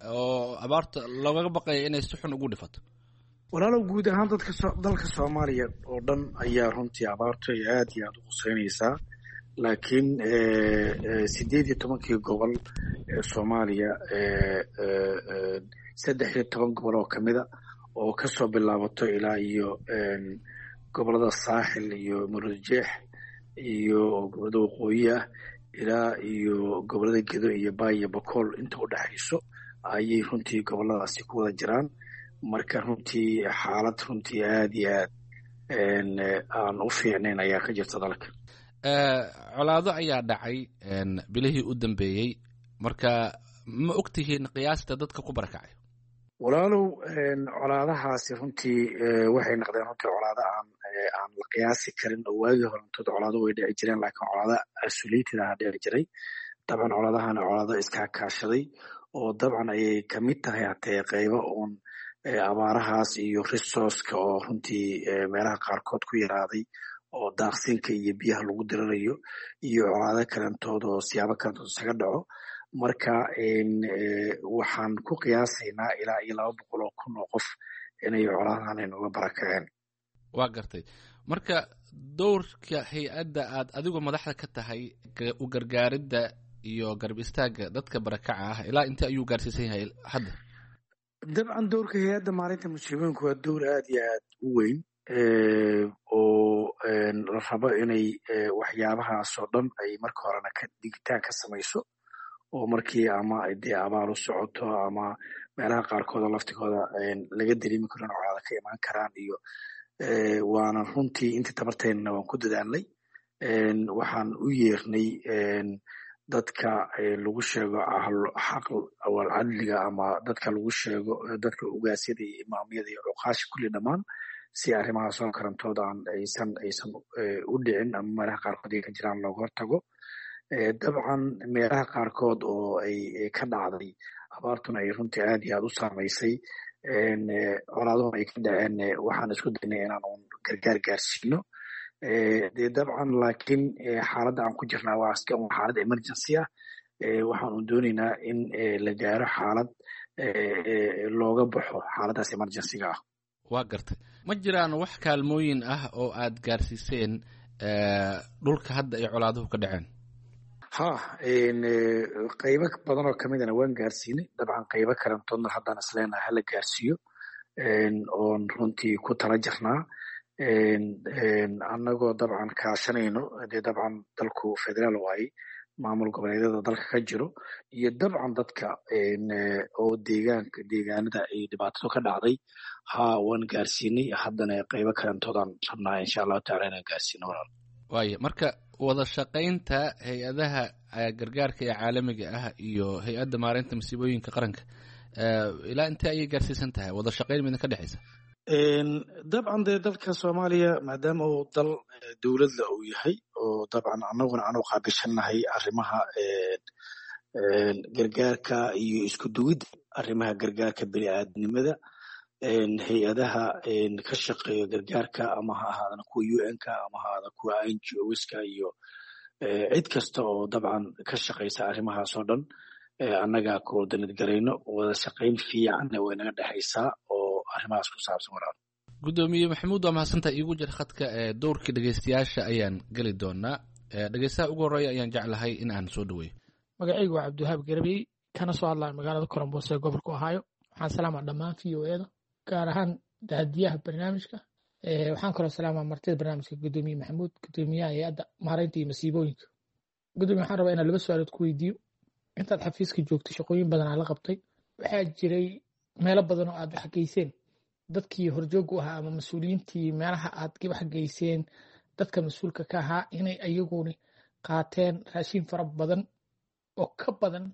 oo abaarta loogaga baqaya inay si xun ugu dhifato? Walaalow, guud ahaan dadka dalka Soomaaliya oo dhan ayaa runtii abaartu ay aad iyo aad u quseynaysaa, laakiin sideed iyo tobankii gobol ee Soomaaliya, saddex iyo toban gobol oo kamida oo kasoo bilaabato ilaa iyo gobolada Saaxil iyo Murujeex iyo gobolada waqooyi ah ilaa iyo gobolada Gedo iyo Baay iyo Bakool inta u dhexayso ayay runtii goboladaasi ku wada jiraan. Marka runtii xaalad runtii aad iyo aad aan u fiicnayn ayaa ka jirta dalka. Colaado ayaa dhacay bilihii u dambeeyey, marka ma ogtihiin qiyaasta dadka ku barakacay? Walaalow, colaadahaasi runtii waxay noqdeen runtii colaado aan aan la qiyaasi karin, oo waagii horantood colaado way dhici jireen, laakiin colaado isolated ah dhici jiray. Dabcan colaadahana colaado iskaa kaashaday oo dabcan ayay kamid tahay hatee qeybo uun abaarahaas iyo resourceka oo runtii meelaha qaarkood ku yaraaday oo daaqsinka iyo biyaha lagu dirirayo iyo colaado kalantood oo siyaabo kalantood isaga dhaco. Marka waxaan ku qiyaasaynaa ilaa iyo laba boqol oo kun oo qof inay colaadahan inooga barakaceen. Waa gartay. Marka dowrka hay-adda aad adigu madaxda ka tahay u gargaaridda iyo garab istaagga dadka barakaca ah ilaa intee ayuu gaarsiisan yahay hadda? Dabcan dowrka hay-adda maalinta musiibooyinku waa dowr aad iyo aad u weyn oo la rabo inay waxyaabahaas oo dhan ay marka horena ka digitaan ka samayso, oo markii ama dee abaar u socoto ama meelaha qaarkood oo laftigooda laga dareemi karo in colaada ka imaan karaan iyo waana runtii intii tabarteennana waan ku dadaalnay. Waxaan u yeernay dadka lagu sheego xaq awal cadliga ama dadka lagu sheego dadka ugaasyada iyo imaamyada iyo cuqaasha kulli dhammaan, si arrimahaas oo karantood aan aysan aysan u dhicin ama meelaha qaarkood ay ka jiraan looga hortago. Dabcan meelaha qaarkood oo ay ka dhacday abaartuna ay runtii aad iyo aad u saamaysay, colaaduhuna ay ka dhaceen, waxaan isku daynay inaan uun gargaar gaarsiino dee dabcan. Laakiin xaaladda aan ku jirnaa waa iska un xaalad emergency ah. Waxaan un doonaynaa in la gaaro xaalad looga baxo xaaladdaas emergencyga ah. Waa gartay. Ma jiraan wax kaalmooyin ah oo aad gaarsiiseen dhulka hadda ay colaaduhu ka dhaceen? Ha, qaybo badan oo kamidana waan gaarsiinay. Dabcan qaybo kalantoodna haddaan isleenahay hala gaarsiiyo oon runtii ku tala jirnaa, annagoo dabcan kaashanayno dee dabcan dalku federaal waaye, maamul goboleedyada dalka ka jiro iyo dabcan dadka oo deegaanka deegaanada ay dhibaatadu ka dhacday. Ha, waan gaarsiinay, haddana qaybo kalantoodaan rabnaa insha Allahu tacala inaan gaarsiino, walaal. Waaya, marka wada shaqaynta hay-adaha gargaarka ee caalamiga ah iyo hay-adda maareynta masiibooyinka qaranka ilaa intee ayay gaarsiisan tahay? Wada shaqayn midna ka dhexaysa? Dabcan dee dalka Soomaaliya maadaama uu dal dowladla uu yahay oo dabcan annaguna aanu qaabilshannahay arrimaha gargaarka iyo isku duwidda arrimaha gargaarka bini'aadnimada, hay-adaha ka shaqeeya gargaarka ama ha ahaadana kuwa U N-ka ama ha ahaadana kuwa N G Os-ka iyo cid kasta oo dabcan ka shaqeysa arrimahaas oo dhan, annagaa coordinate garayno. Wada shaqayn fiicanna way naga dhexaysaa oo arrimahaas ku saabsan, walaal. Guddoomiye Maxamuud, waa mahadsantaha. Iigu jir khadka ee dowrkii dhegeystayaasha ayaan geli doonaa. Dhegeystaha ugu horreeya ayaan jeclahay in aan soo dhaweeyo. Magacaygu waa Cabdiwahaab Garabey, kana soo hadlaya magaalada Columbus ee gobolka Ohio. Waxaan salaamaa dhammaan V O E-da, gaar ahaan daadiyaha barnaamijka. Waxaan kaloo salaamaa martida barnaamijka, Gudoomiye Maxamuud, gudoomiyaha hay-adda maareynta iyo masiibooyinka. Gudoomiye, waxaan rabaa inaan laba su-aalood ku weydiiyo. Intaad xafiiska joogtay shaqooyin badan aa la qabtay, waxaa jiray meelo badan oo aad wax geyseen. Dadkii horjoogu ahaa ama mas-uuliyiintii meelaha aad wax geyseen, dadka mas-uulka ka ahaa, inay ayaguni qaateen raashin fara badan oo ka badan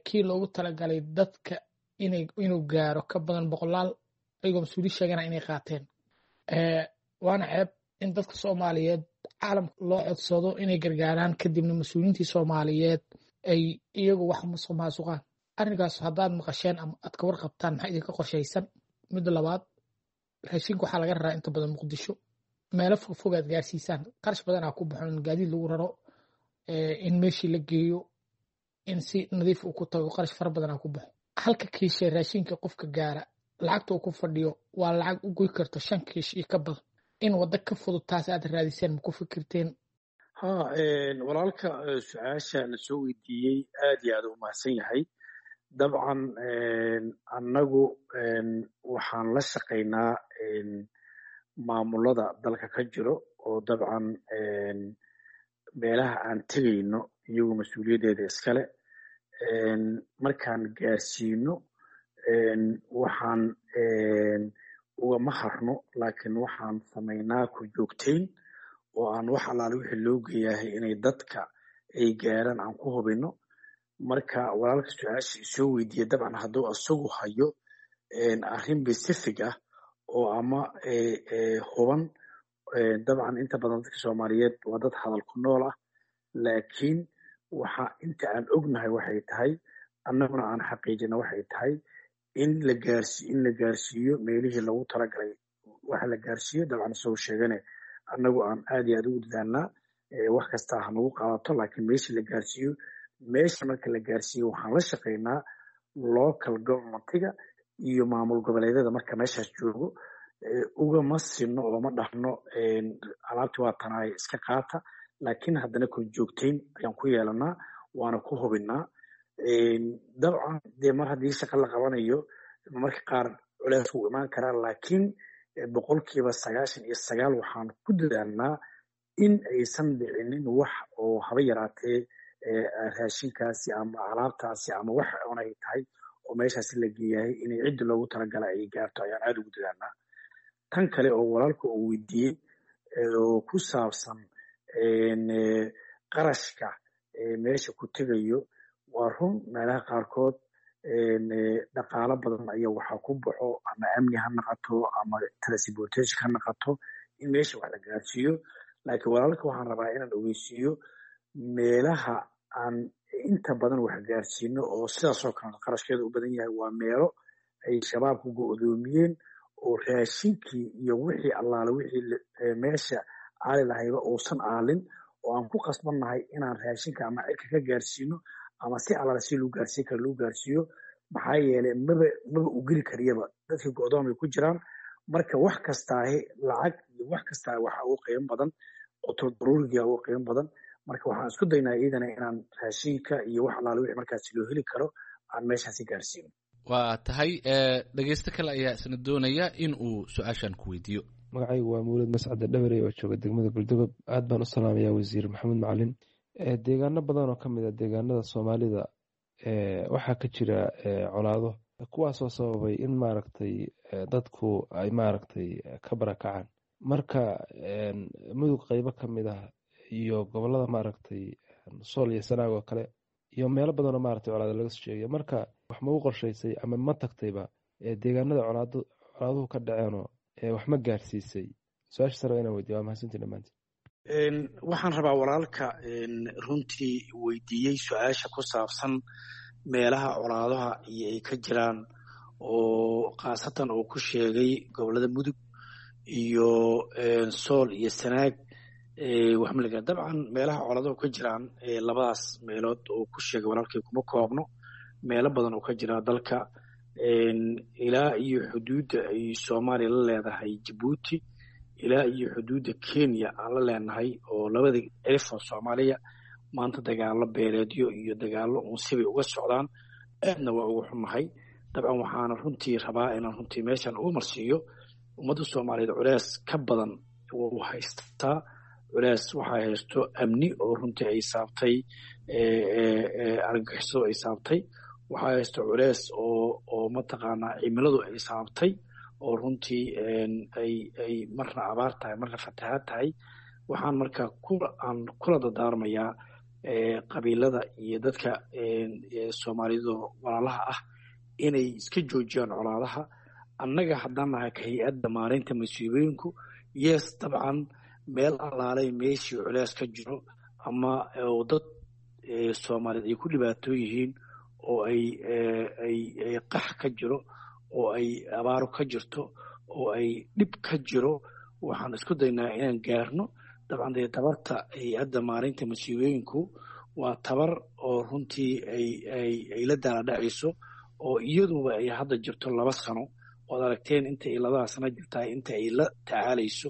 kii loogu talagalay dadka inuu gaaro, ka badan boqolaal, ayagoo mas-uuliyin sheegana inay qaateen. Waana ceeb in dadka Soomaaliyeed caalamka loo codsado inay gargaaraan, kadibna mas-uuliyiintii Soomaaliyeed ay iyagu wax musuq maasuqaan. Arrinkaas haddaad maqasheen ama aad ka warqabtaan, maxaa idinka qorshaysan? Midda labaad, raashinka waxaa laga raraa inta badan Muqdisho, meelo fogfog aad gaarsiisaan, qarash badan aa ku baxo in gaadiid lagu raro, in meeshii la geeyo, in si nadiif uu ku tago, qarash fara badan aa ku baxo. Halka kiishe raashinka qofka gaara lacagta uu ku fadhiyo waa lacag u goy karto shan kiish iyo ka badan. In waddo ka fudud taas aad raadiseen, ma ku fikirteen? Ha, walaalka su-aasha na soo weydiiyey aad iyo aad u mahadsan yahay. Dabcan annagu waxaan la shaqaynaa maamulada dalka ka jiro, oo dabcan meelaha aan tegayno iyagu mas-uuliyaddeeda iskale. Markaan gaarsiino waxaan ugama harno, laakiin waxaan samaynaa ku joogtayn oo aan wax allaale wixii loo geeyahay inay dadka ay gaaraan aan ku hubino. Marka walaalka su-aasha isoo weydiiya, dabcan hadduu isagu hayo arrin specific ah oo ama huban, dabcan inta badan dadka Soomaaliyeed waa dad hadal ku nool ah, laakiin waxa inta aan ognahay waxay tahay, annaguna aan xaqiijina waxay tahay in la gaarsi in la gaarsiiyo meelihii lagu talagalay waxa la gaarsiiyo. Dabcan isagoo sheegane annagu aan aad iyo aad ugu dadaalnaa, wax kasta ha nagu qaadato, laakiin meeshii la gaarsiiyo, meesha marka la gaarsiiyo waxaan la shaqaynaa local governmentiga iyo maamul goboleedyada marka meeshaas joogo. Ugama sinno oo ma dhahno alaabti waa tanaay iska qaata, laakiin haddana kor joogtayn ayaan ku yeelanaa, waana ku hubinaa. Dabcan dee mar haddii shaqa la qabanayo marka qaar culeys wuu imaan karaa, laakiin boqolkiiba sagaashan iyo sagaal waxaan ku dadaalnaa in aysan dhicinin wax oo haba yaraatee raashinkaasi ama alaabtaasi ama wax oon ay tahay oo meeshaasi la geeyahay inay cidda loogu talagala ay gaarto ayaan aada ugu dadaalnaa. Tan kale oo walaalka uu weydiiyey oo ku saabsan qarashka meesha ku tegayo, waa run meelaha qaarkood dhaqaalo badan ayaa waxaa ku baxo, ama amni ha naqato ama transportation ha naqato, in meesha wax la gaarsiiyo. Laakiin walaalka waxaan rabaa inaan ogeysiiyo meelaha aan inta badan wax gaarsiino oo sidaasoo kale qarashkeeda u badan yahay waa meelo ay shabaabku go'doomiyeen oo raashinkii iyo wixii allaale wixii meesha aali lahayba uusan aalin, oo aan ku qasbannahay inaan raashinka ama cirka ka gaarsiino ama si allaale si loo gaarsiin karo loo gaarsiiyo. Maxaa yeelay maba maba u geli kariyaba, dadkii go'doon bay ku jiraan. Marka wax kastaahi lacag iyo wax kastaa waxa ugu qiimo badan qutul daruuriga ugu qiimo badan. Marka waxaan isku daynaa iyadana inaan raashinka iyo wax allaale wixii markaasi loo heli karo aan meeshaasi gaarsiino. Waa tahay. Dhegeysto kale ayaa isna doonaya in uu su-aashan ku weydiiyo. Magacaygu waa Mawlid Mascade Dhabarey oo jooga degmada Galdogob. Aad baan u salaamayaa Wasiir Maxamuud Macalin. Deegaano badan oo ka mid a deegaanada Soomaalida waxaa ka jira colaado, kuwaasoo sababay in maaragtay dadku ay maaragtay ka barakacaan. Marka mudug qeybo ka mid ah iyo gobolada maaragtay Sool iyo Sanaag oo kale iyo meelo badanoo maaragtay colaado laga soo sheegayo, marka wax ma u qorshaysay ama ma tagtayba deegaanada colaado colaaduhu ka dhaceenoo wax ma gaarsiisay? Su-aasha sare inaan weydiiyo. Waa mahadsantiin dhammaantiin. Waxaan rabaa walaalka runtii weydiiyey su-aasha ku saabsan meelaha colaadaha iyo ay ka jiraan, oo khaasatan uu ku sheegay gobolada Mudug iyo Sool iyo Sanaag. Waxmalaga dabcan meelaha colaadahu ka jiraan labadaas meelood oo ku sheegay walaalkay kuma koobno, meelo badan oo ka jira dalka ilaa iyo xuduudda ay Soomaaliya la leedahay Jabuuti Ilaa iyo xuduudda Kenya aan la leenahay oo labada cirif oo Soomaaliya maanta dagaalo beeleedyo iyo dagaalo unsibay uga socdaan, aadna waa uga xumahay. Dabcan waxaana runtii rabaa inaan runtii meeshan ugu marsiiyo ummadda Soomaaliyeed culees ka badan wuu haystaa. Culees waxaa haysto amni oo runtii ay saabtay argagixisadu ay saabtay, waxaa haysto culees oo oo mataqaanaa cimiladu ay saabtay oo runtii ay ay marna abaar tahay, marna fatahaad tahay. Waxaan marka ku aan kula dardaarmayaa qabiilada iyo dadka Soomaaliyeed oo walaalaha ah inay iska joojiyaan colaadaha. Annaga haddaan nahay ka hay-adda maareynta masiibooyinku, yes, dabcan meel allaalay meeshii culees ka jiro ama oo dad Soomaaliyeed ay ku dhibaato yihiin oo ay ay ay qax ka jiro oo ay abaaro ka jirto oo ay dhib ka jiro, waxaan isku daynaa inaan gaarno. Dabcan dee tabarta hay-adda maareynta masiibooyinku waa tabar oo runtii ay ay ay la daaladhacayso oo iyaduba ay hadda jirto laba sano ood aragteen inta ay labada sano jirtahay inta ay la tacaalayso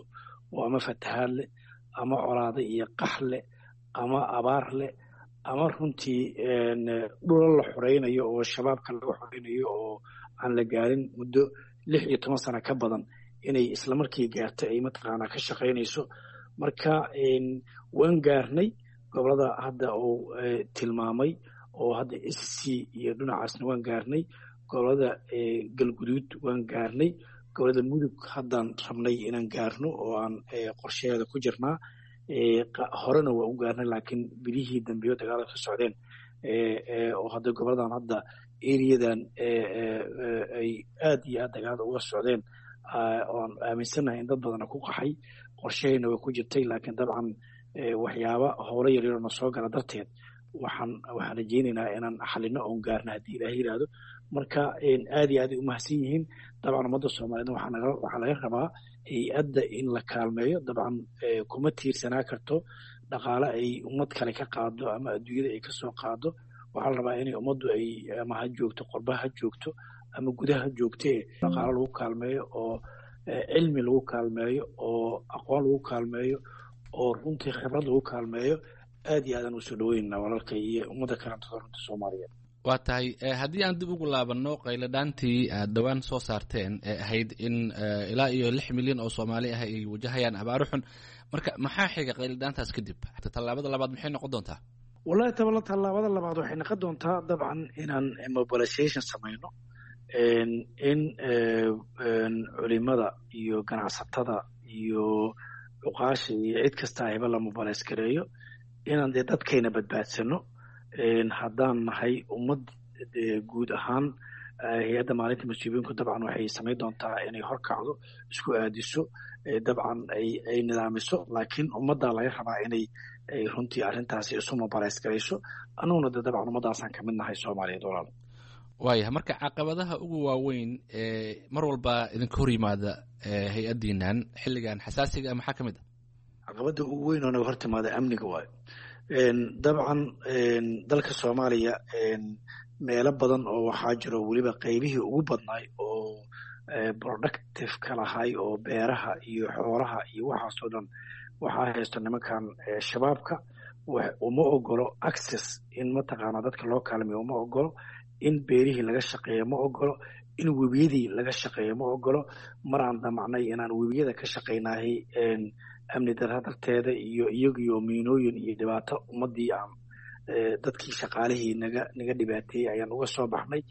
oo ama fatahaad leh ama colaado iyo qax leh ama abaar leh ama runtii dhulal la xoreynayo oo shabaabka laga xoreynayo oo aan la gaarin muddo lix iyo toban sano ka badan inay islamarkii gaarto ay mataqaanaa ka shaqaynayso. Marka waan gaarnay gobolada hadda uu tilmaamay oo hadda S C iyo dhinacaasna waan gaarnay, gobolada Galguduud waan gaarnay, gobolada Mudug haddaan rabnay inaan gaarno oo aan qorshaheeda ku jirnaa. Horena waa u gaarnay, laakiin bilihii dambeeyo dagaalada ka socdeen oo hadda goboladan hadda eriyadan ay aad iyo aad dagaalada uga socdeen oan aaminsannahay in dad badana ku qaxay, qorshahayna waa ku jirtay. Laakiin dabcan waxyaaba howlo yaryaroo na soo gala darteed waxaan waxaan rajaynaynaa inaan xalino oon gaarno haddii Ilaahay yidhaahdo. Marka aad iyo aad ay umahadsan yihiin. Dabcan ummadda Soomaaliyeedna waxaa naga waxaa laga rabaa hay-adda in la kaalmeeyo. Dabcan kuma tiirsanaa karto dhaqaale ay ummad kale ka qaado ama adduunyada ay kasoo qaado. Waxaa la rabaa inay ummaddu ay ama ha joogto qurba ha joogto ama gudaha ha joogtee dhaqaale lagu kaalmeeyo oo cilmi lagu kaalmeeyo oo aqoon lagu kaalmeeyo oo runtii khibrad lagu kaalmeeyo. Aad iyo aadaan usoo dhaweynaa walaalka iyo ummadda kalantada runta Soomaaliyeed. Waa tahay. Haddii aan dib ugu laabanno qayladhaantii aad dhowaan soo saarteen ee ahayd in ilaa iyo lix milyan oo Soomaali ah ay wajahayaan abaaro xun, marka maxaa xiga qayladhaantaas kadib? Tallaabada labaad maxay noqon doontaa? Wallahi tabala tallaabada labaad waxay noqon doontaa dabcan inaan mobilization samayno, in culimada iyo ganacsatada iyo cuqaasha iyo cid kasta ayba la mobilize gareeyo, inaan dee dadkayna badbaadsano. Haddaan nahay ummad guud ahaan, hay-adda maalinta masiibooyinku dabcan waxay samayn doontaa inay horkacdo, isku aadiso, dabcan ay ay nidaamiso, laakiin ummaddaa laga rabaa inay ay runtii arrintaasi isu mobilize garayso. Annaguna de dabcan ummaddaasaan kamid nahay Soomaaliyeed walaal. Waayahay, marka caqabadaha ugu waaweyn ee mar walba idinka hor yimaada hay-addiinan xilligan xasaasiga ah maxaa ka mid ah? Caqabadda ugu weyn oo naga hor timaada amniga waayo. Dabcan dalka Soomaaliya meelo badan oo waxaa jiro weliba qeybihii ugu badnaay oo productive ka lahay oo beeraha iyo xoolaha iyo waxaasoo dhan waxaa haysto nimankan shabaabka. Uma ogolo access in mataqaanaa dadka loo kaalmeyo, uma ogolo in beerihii laga shaqeeyo, ma ogolo in webiyadii laga shaqeeyo, ma ogolo. Mar aan damacnay inaan webiyada ka shaqaynahay amni darra darteeda iyo iyagiyo miinooyin iyo dhibaato ummadii aan dadkii shaqaalihii naga naga dhibaateeyey ayaan uga soo baxnay.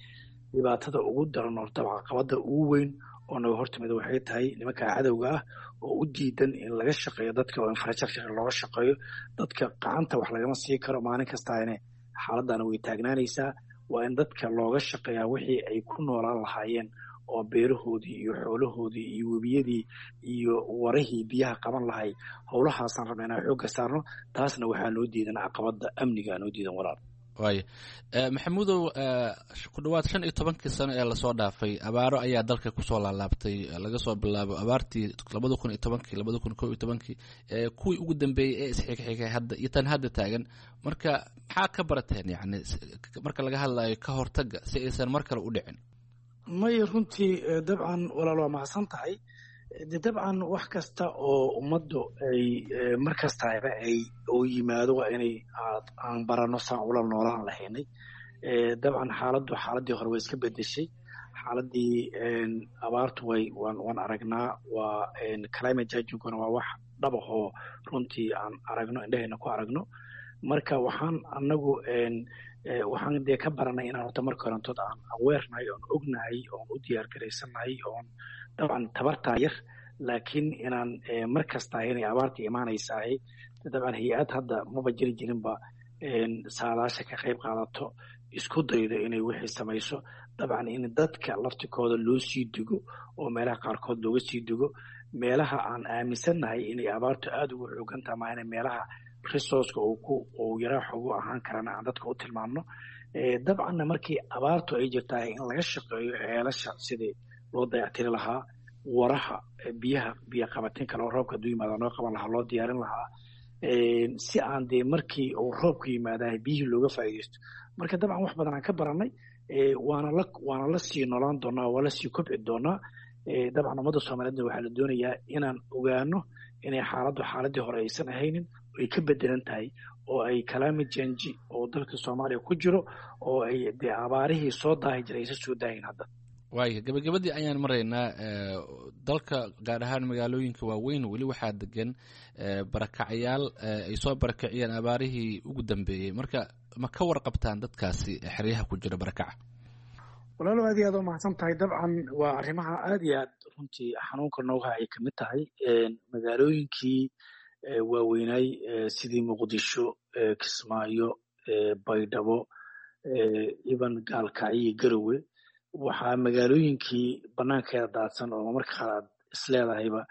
Dhibaatada ugu daran oo dabcan caqabada ugu weyn oo naga hortimida waxay tahay nimanka cadowga ah oo u diidan in laga shaqeeyo dadka oo infrastructure looga shaqeeyo dadka. Gacanta wax lagama sii karo maalin kastaane, xaaladana way taagnaanaysaa. Waa in dadka looga shaqeeyaa wixii ay ku noolaan lahaayeen oo beerahoodii iyo xoolahoodii iyo webiyadii iyo warihii biyaha qaban lahay. Howlahaasaan rabna inaan xoogga saarno, taasna waxaa noo diidan caqabada amniga noo diidan walaal. Waaya Maxamuudow, ku dhawaad shan iyo tobankii sano ee lasoo dhaafay abaaro ayaa dalka kusoo laalaabtay, laga soo bilaabo abaartii labada kun iyo tobankii, labada kun kow iyo tobankii, kuwii ugu dambeeyey ee isxigxigay hadda iyo tan hadda taagan. Marka maxaa ka barateen yacni marka laga hadlayo ka hortagga si aysan mar kale u dhicin? May runtii dabcan walaal waa mahadsan tahay. De dabcan wax kasta oo ummaddu ay mar kastaba ay oo yimaado waa inay aan barano saan ula noolaan lahaynay. Dabcan xaaladdu xaaladii hore way iska bedeshay. Xaaladii abaartu way waan waan aragnaa, waa climate changinguna waa wax dhab ahoo runtii aan aragno, indhahayna ku aragno. Marka waxaan anagu waxaan dee ka baranay inaan horta marka horantood aan aweernahay, oon ognahay, oon u diyaar garaysannahay, oon dabcan tabartaa yar, laakiin inaan mar kasta inay abaarta imaanaysahay. Dabcan hay-ad hadda maba jiri jirinba saadaasha ka qayb qaadato, isku daydo inay wixii samayso. Dabcan in dadka laftikooda loo sii digo oo meelaha qaarkood looga sii digo, meelaha aan aaminsannahay inay abaartu aada ugu xoogantaha, maahane meelaha resourceka uu ku uu yaraa xoogu ahaan karana aan dadka u tilmaamno. Dabcanna markii abaartu ay jirtahay in laga shaqeeyo ceelasha sidii loo dayactiri lahaa, waraha biyaha, biyo qabatin kale oo roobka hadduu yimaada noo qaban lahaa loo diyaarin lahaa, si aan dee markii uu roobku yimaadahay biyihii looga faa'iidaysto. Marka dabcan wax badan aan ka baranay, waana la waana la sii noolaan doonaa, waa la sii kobci doonaa. Dabcan ummadda soomaaliyeedna waxaa la doonayaa inaan ogaano inay xaaladdu xaaladii hore aysan ahaynin, ay ka bedelan tahay, oo ay climate change oo dalka soomaaliya ku jiro, oo ay dee abaarihii soo daahi jiray aysan soo daahin hadda. Waaya, gabagabadii ayaan maraynaa. Dalka gaar ahaan magaalooyinka waaweyn weli waxaa degan barakacyaal ay soo barakaciyeen abaarihii ugu dambeeyey. Marka ma ka warqabtaan dadkaasi xeryaha ku jira barakaca? Walaalo, aad iyo aad u mahadsan tahay. Dabcan waa arrimaha aad iyo aad runtii xanuunka noogaha ay kamid tahay. Magaalooyinkii waaweynaay sidii Muqdisho, Kismaayo, Baydhabo, iban Gaalkacyo iyo Garowe, waxaa magaalooyinkii banaankeeda daadsan oo marka qaar aad isleedahayba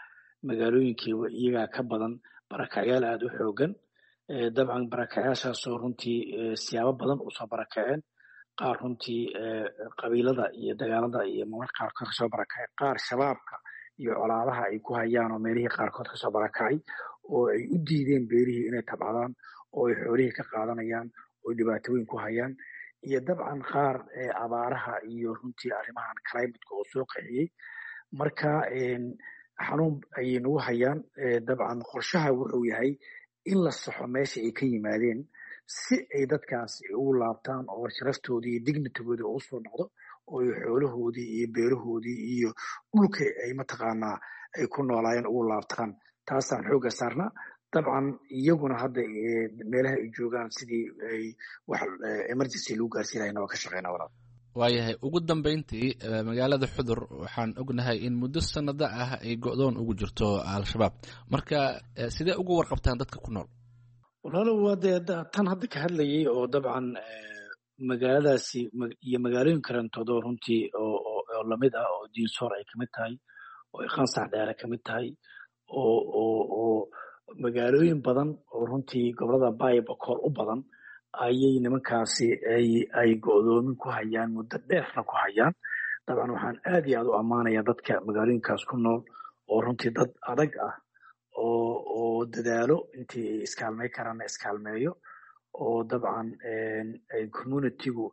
magaalooyinkiiba iyagaa ka badan barakacyaal aada u xoogan. Dabcan barakacyaashaasoo runtii siyaabo badan usoo barakaceen, qaar runtii qabiilada iyo dagaalada iyo mararka qaarkood kasoo barakacay, qaar shabaabka iyo colaadaha ay ku hayaan oo meelihii qaarkood kasoo barakacay, oo ay u diideen beerihii inay tabcadaan, oo ay xoolihii ka qaadanayaan, oo dhibaatooyin ku hayaan, iyo dabcan qaar abaaraha iyo runtii arrimahan climateka oo soo qixiyey. Marka xanuun ayay nagu hayaan. Dabcan qorshaha wuxuu yahay in la saxo meesha ay ka yimaadeen si ay dadkaas ugu laabtaan oo sharaftoodii iyo dignitigoodii ugu soo noqdo, oo ay xoolahoodii iyo beerahoodii iyo dhulka ay mataqaanaa ay ku noolaayeen ugu laabtaan. Taasaan xoogga saarnaa. Dabcan iyaguna hadda meelaha ay joogaan sidii ay wax emergency lagu gaarsiinayna waa ka shaqeynaa walaal. Waayahay, ugu dambeyntii magaalada Xudur waxaan ognahay in muddo sanado ah ay go'doon ugu jirto Al-Shabaab. Marka sidee uga warqabtaan dadka ku nool? Walaalo, waa dee tan hadda ka hadlayay oo dabcan magaaladaasi iyo magaalooyin karantood oo runtii oo oo lamid ah, oo Diinsoor ay kamid tahay, oo ay Qansax Dheere kamid tahay, oo oo oo magaalooyin badan oo runtii gobolada Baay Bakool u badan ayay nimankaasi ay ay go'doomin ku hayaan, muddo dheerna ku hayaan. Dabcan waxaan aad iyo aad u ammaanayaa dadka magaalooyinkaas ku nool oo runtii dad adag ah, oo oo dadaalo intii ay iskaalmey karaanna iskaalmeeyo, oo dabcan ay communitygu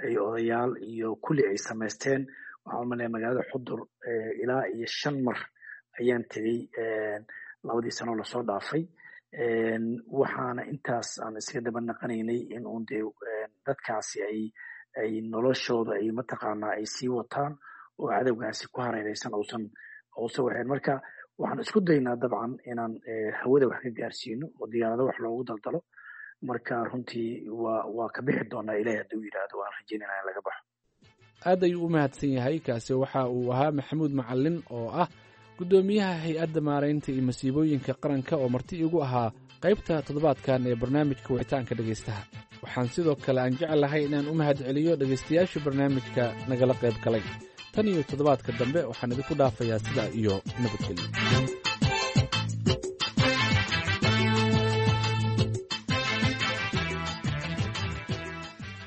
ay odayaal iyo kulli ay samaysteen. Waxaan umaleeyaa magaalada Xudur ilaa iyo shan mar ayaan tegey labadii sano lasoo dhaafay, waxaana intaas aan iskaga daba naqanaynay in uun dee dadkaasi ay ay noloshooda ay mataqaanaa ay sii wataan oo cadowgaasi ku hareereysan uusan uusan waxayn. Marka waxaan isku daynaa dabcan inaan hawada wax ka gaarsiino oo diyaarado wax loogu daldalo. Marka runtii waa waa ka bixi doonaa Ilahay hadduu yidhaahdo, waan rajaynayna in laga baxo. Aad ayuu u mahadsan yahay. Kaasi waxa uu ahaa Maxamuud Macalin oo ah guddoomiyaha hay-adda maaraynta iyo masiibooyinka qaranka, oo marti igu ahaa qaybta toddobaadkan ee barnaamijka wicitaanka dhegaystaha. Waxaan sidoo kale aan jeclahay inaan u mahad celiyo dhegaystayaasha barnaamijka nagala qayb galay. Tan iyo toddobaadka dambe waxaan idinku dhaafayaa sidaa iyo nabadgelyo.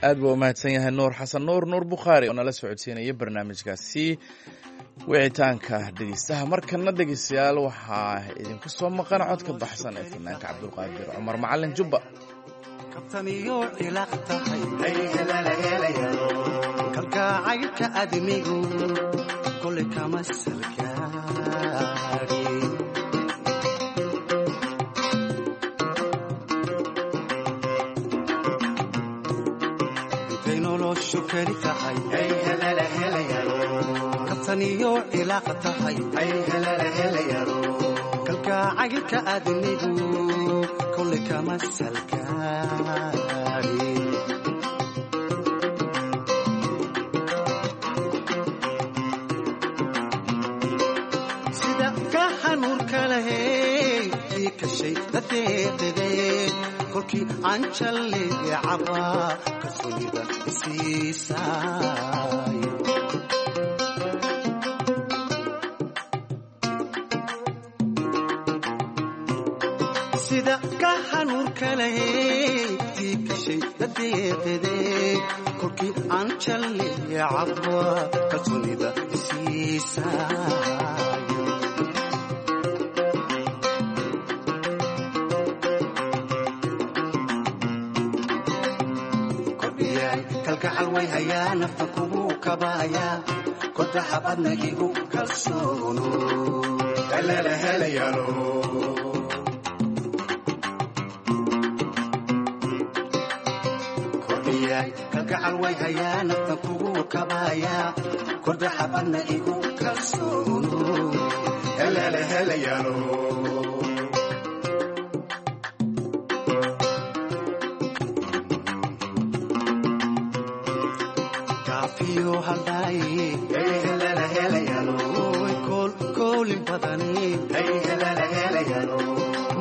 Aad buu u mahadsan yahay Nuur Xasan Nuur, Nuur Bukhaari, oo nala socodsiinaya barnaamijkaasi wicitaanka dhegeystaha. Markana dhegeystayaal, waxaa idinku soo maqan codka baxsan ee fanaanka Cabdulqaadir Cumar Macalin Jubba. Kabtaniyo ilaaq tahay kalgacaylka admigu kole kama salgaaro. Kaftaniyo cilaaqa tahay kalgacaylka aadmigu kole kama salkaari. Sida ka hanuurka lahey ii kashay dadeeqidee kolkii anjalleecaba kalsoonida isiisay. Sida ka hanuurka lahey tii kashay dadeeqidee kolkii anjalleecaba kalsoonida isiisay. Kalgacal way hayaa nafta kugu kabaaya kodaxabadna igu kalsoono helelahelayalo. Kordhiyay kalgacal way hayaa nafta kugu kabaaya kodaxabadna igu kalsoono helelahelayalo. Koolin badani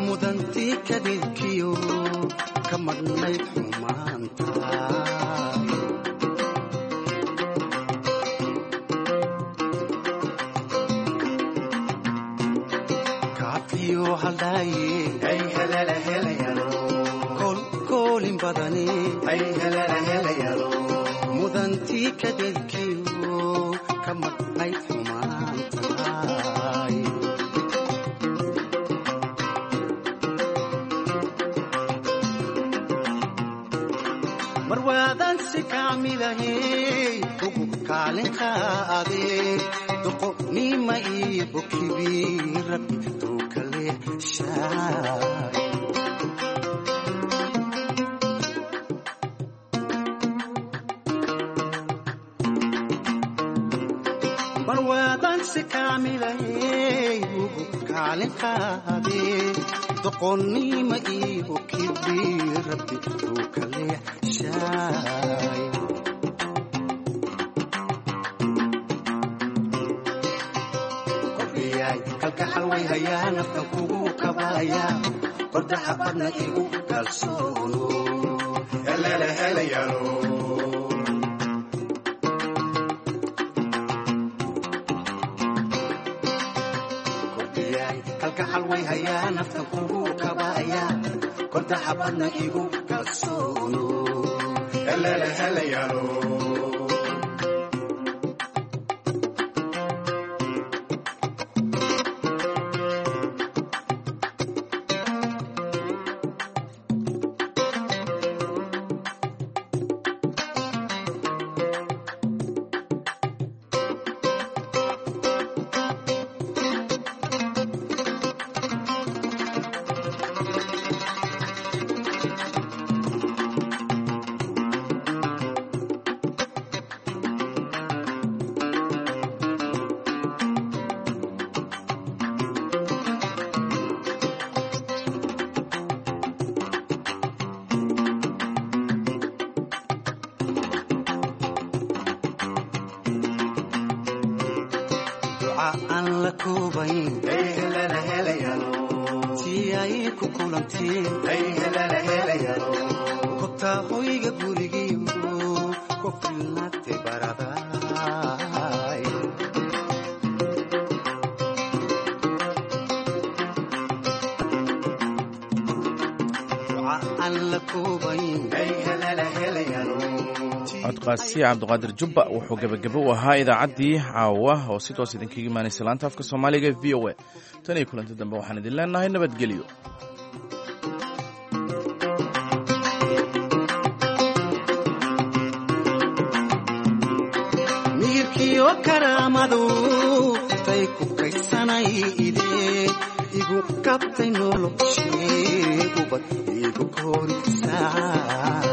mudantii kadibkiyo ka madhnayd xumaanta. Kaafiyo haldhaaye koolin badani mudantii kadibkiyo ka madhnayd xumaantaay. Marwaadan si kaamilahey ugu kaalin qaadee doqonnima iyo bokibi rabbi tuu kale shaay. Marwaadan si kaamilahey ugu kaalin qaadee doqonnima iyo kibi rabbi tuu kale shaay. Kordhiyay kalgacal way hayaa naftan kugu kabaaya kordaxabadna igu kalsoono helelahelayalo. Kalgacal way hayaa naftan kugu kabaaya kordaxabadna igu kalsoono helelahelayalo. Duca aan la koobayn tii ay ku kulanteen kobtaa hoyga gurigiyo ku filnaatay baradaay. Duca aan la koobayn. Codkaasi Cabdiqaadir Jubba wuxuu gebagabo u ahaa idaacaddii caawa oo si toos idinkaga imaanaysa laanta afka Soomaaliga e V O A. Tan iyo kulanti dambe waxaan idin leenahay nabadgelyo. Miyirkiyo karaamadu tay ku kaysanayde igu kabtay noloshee ubad igu korisaay.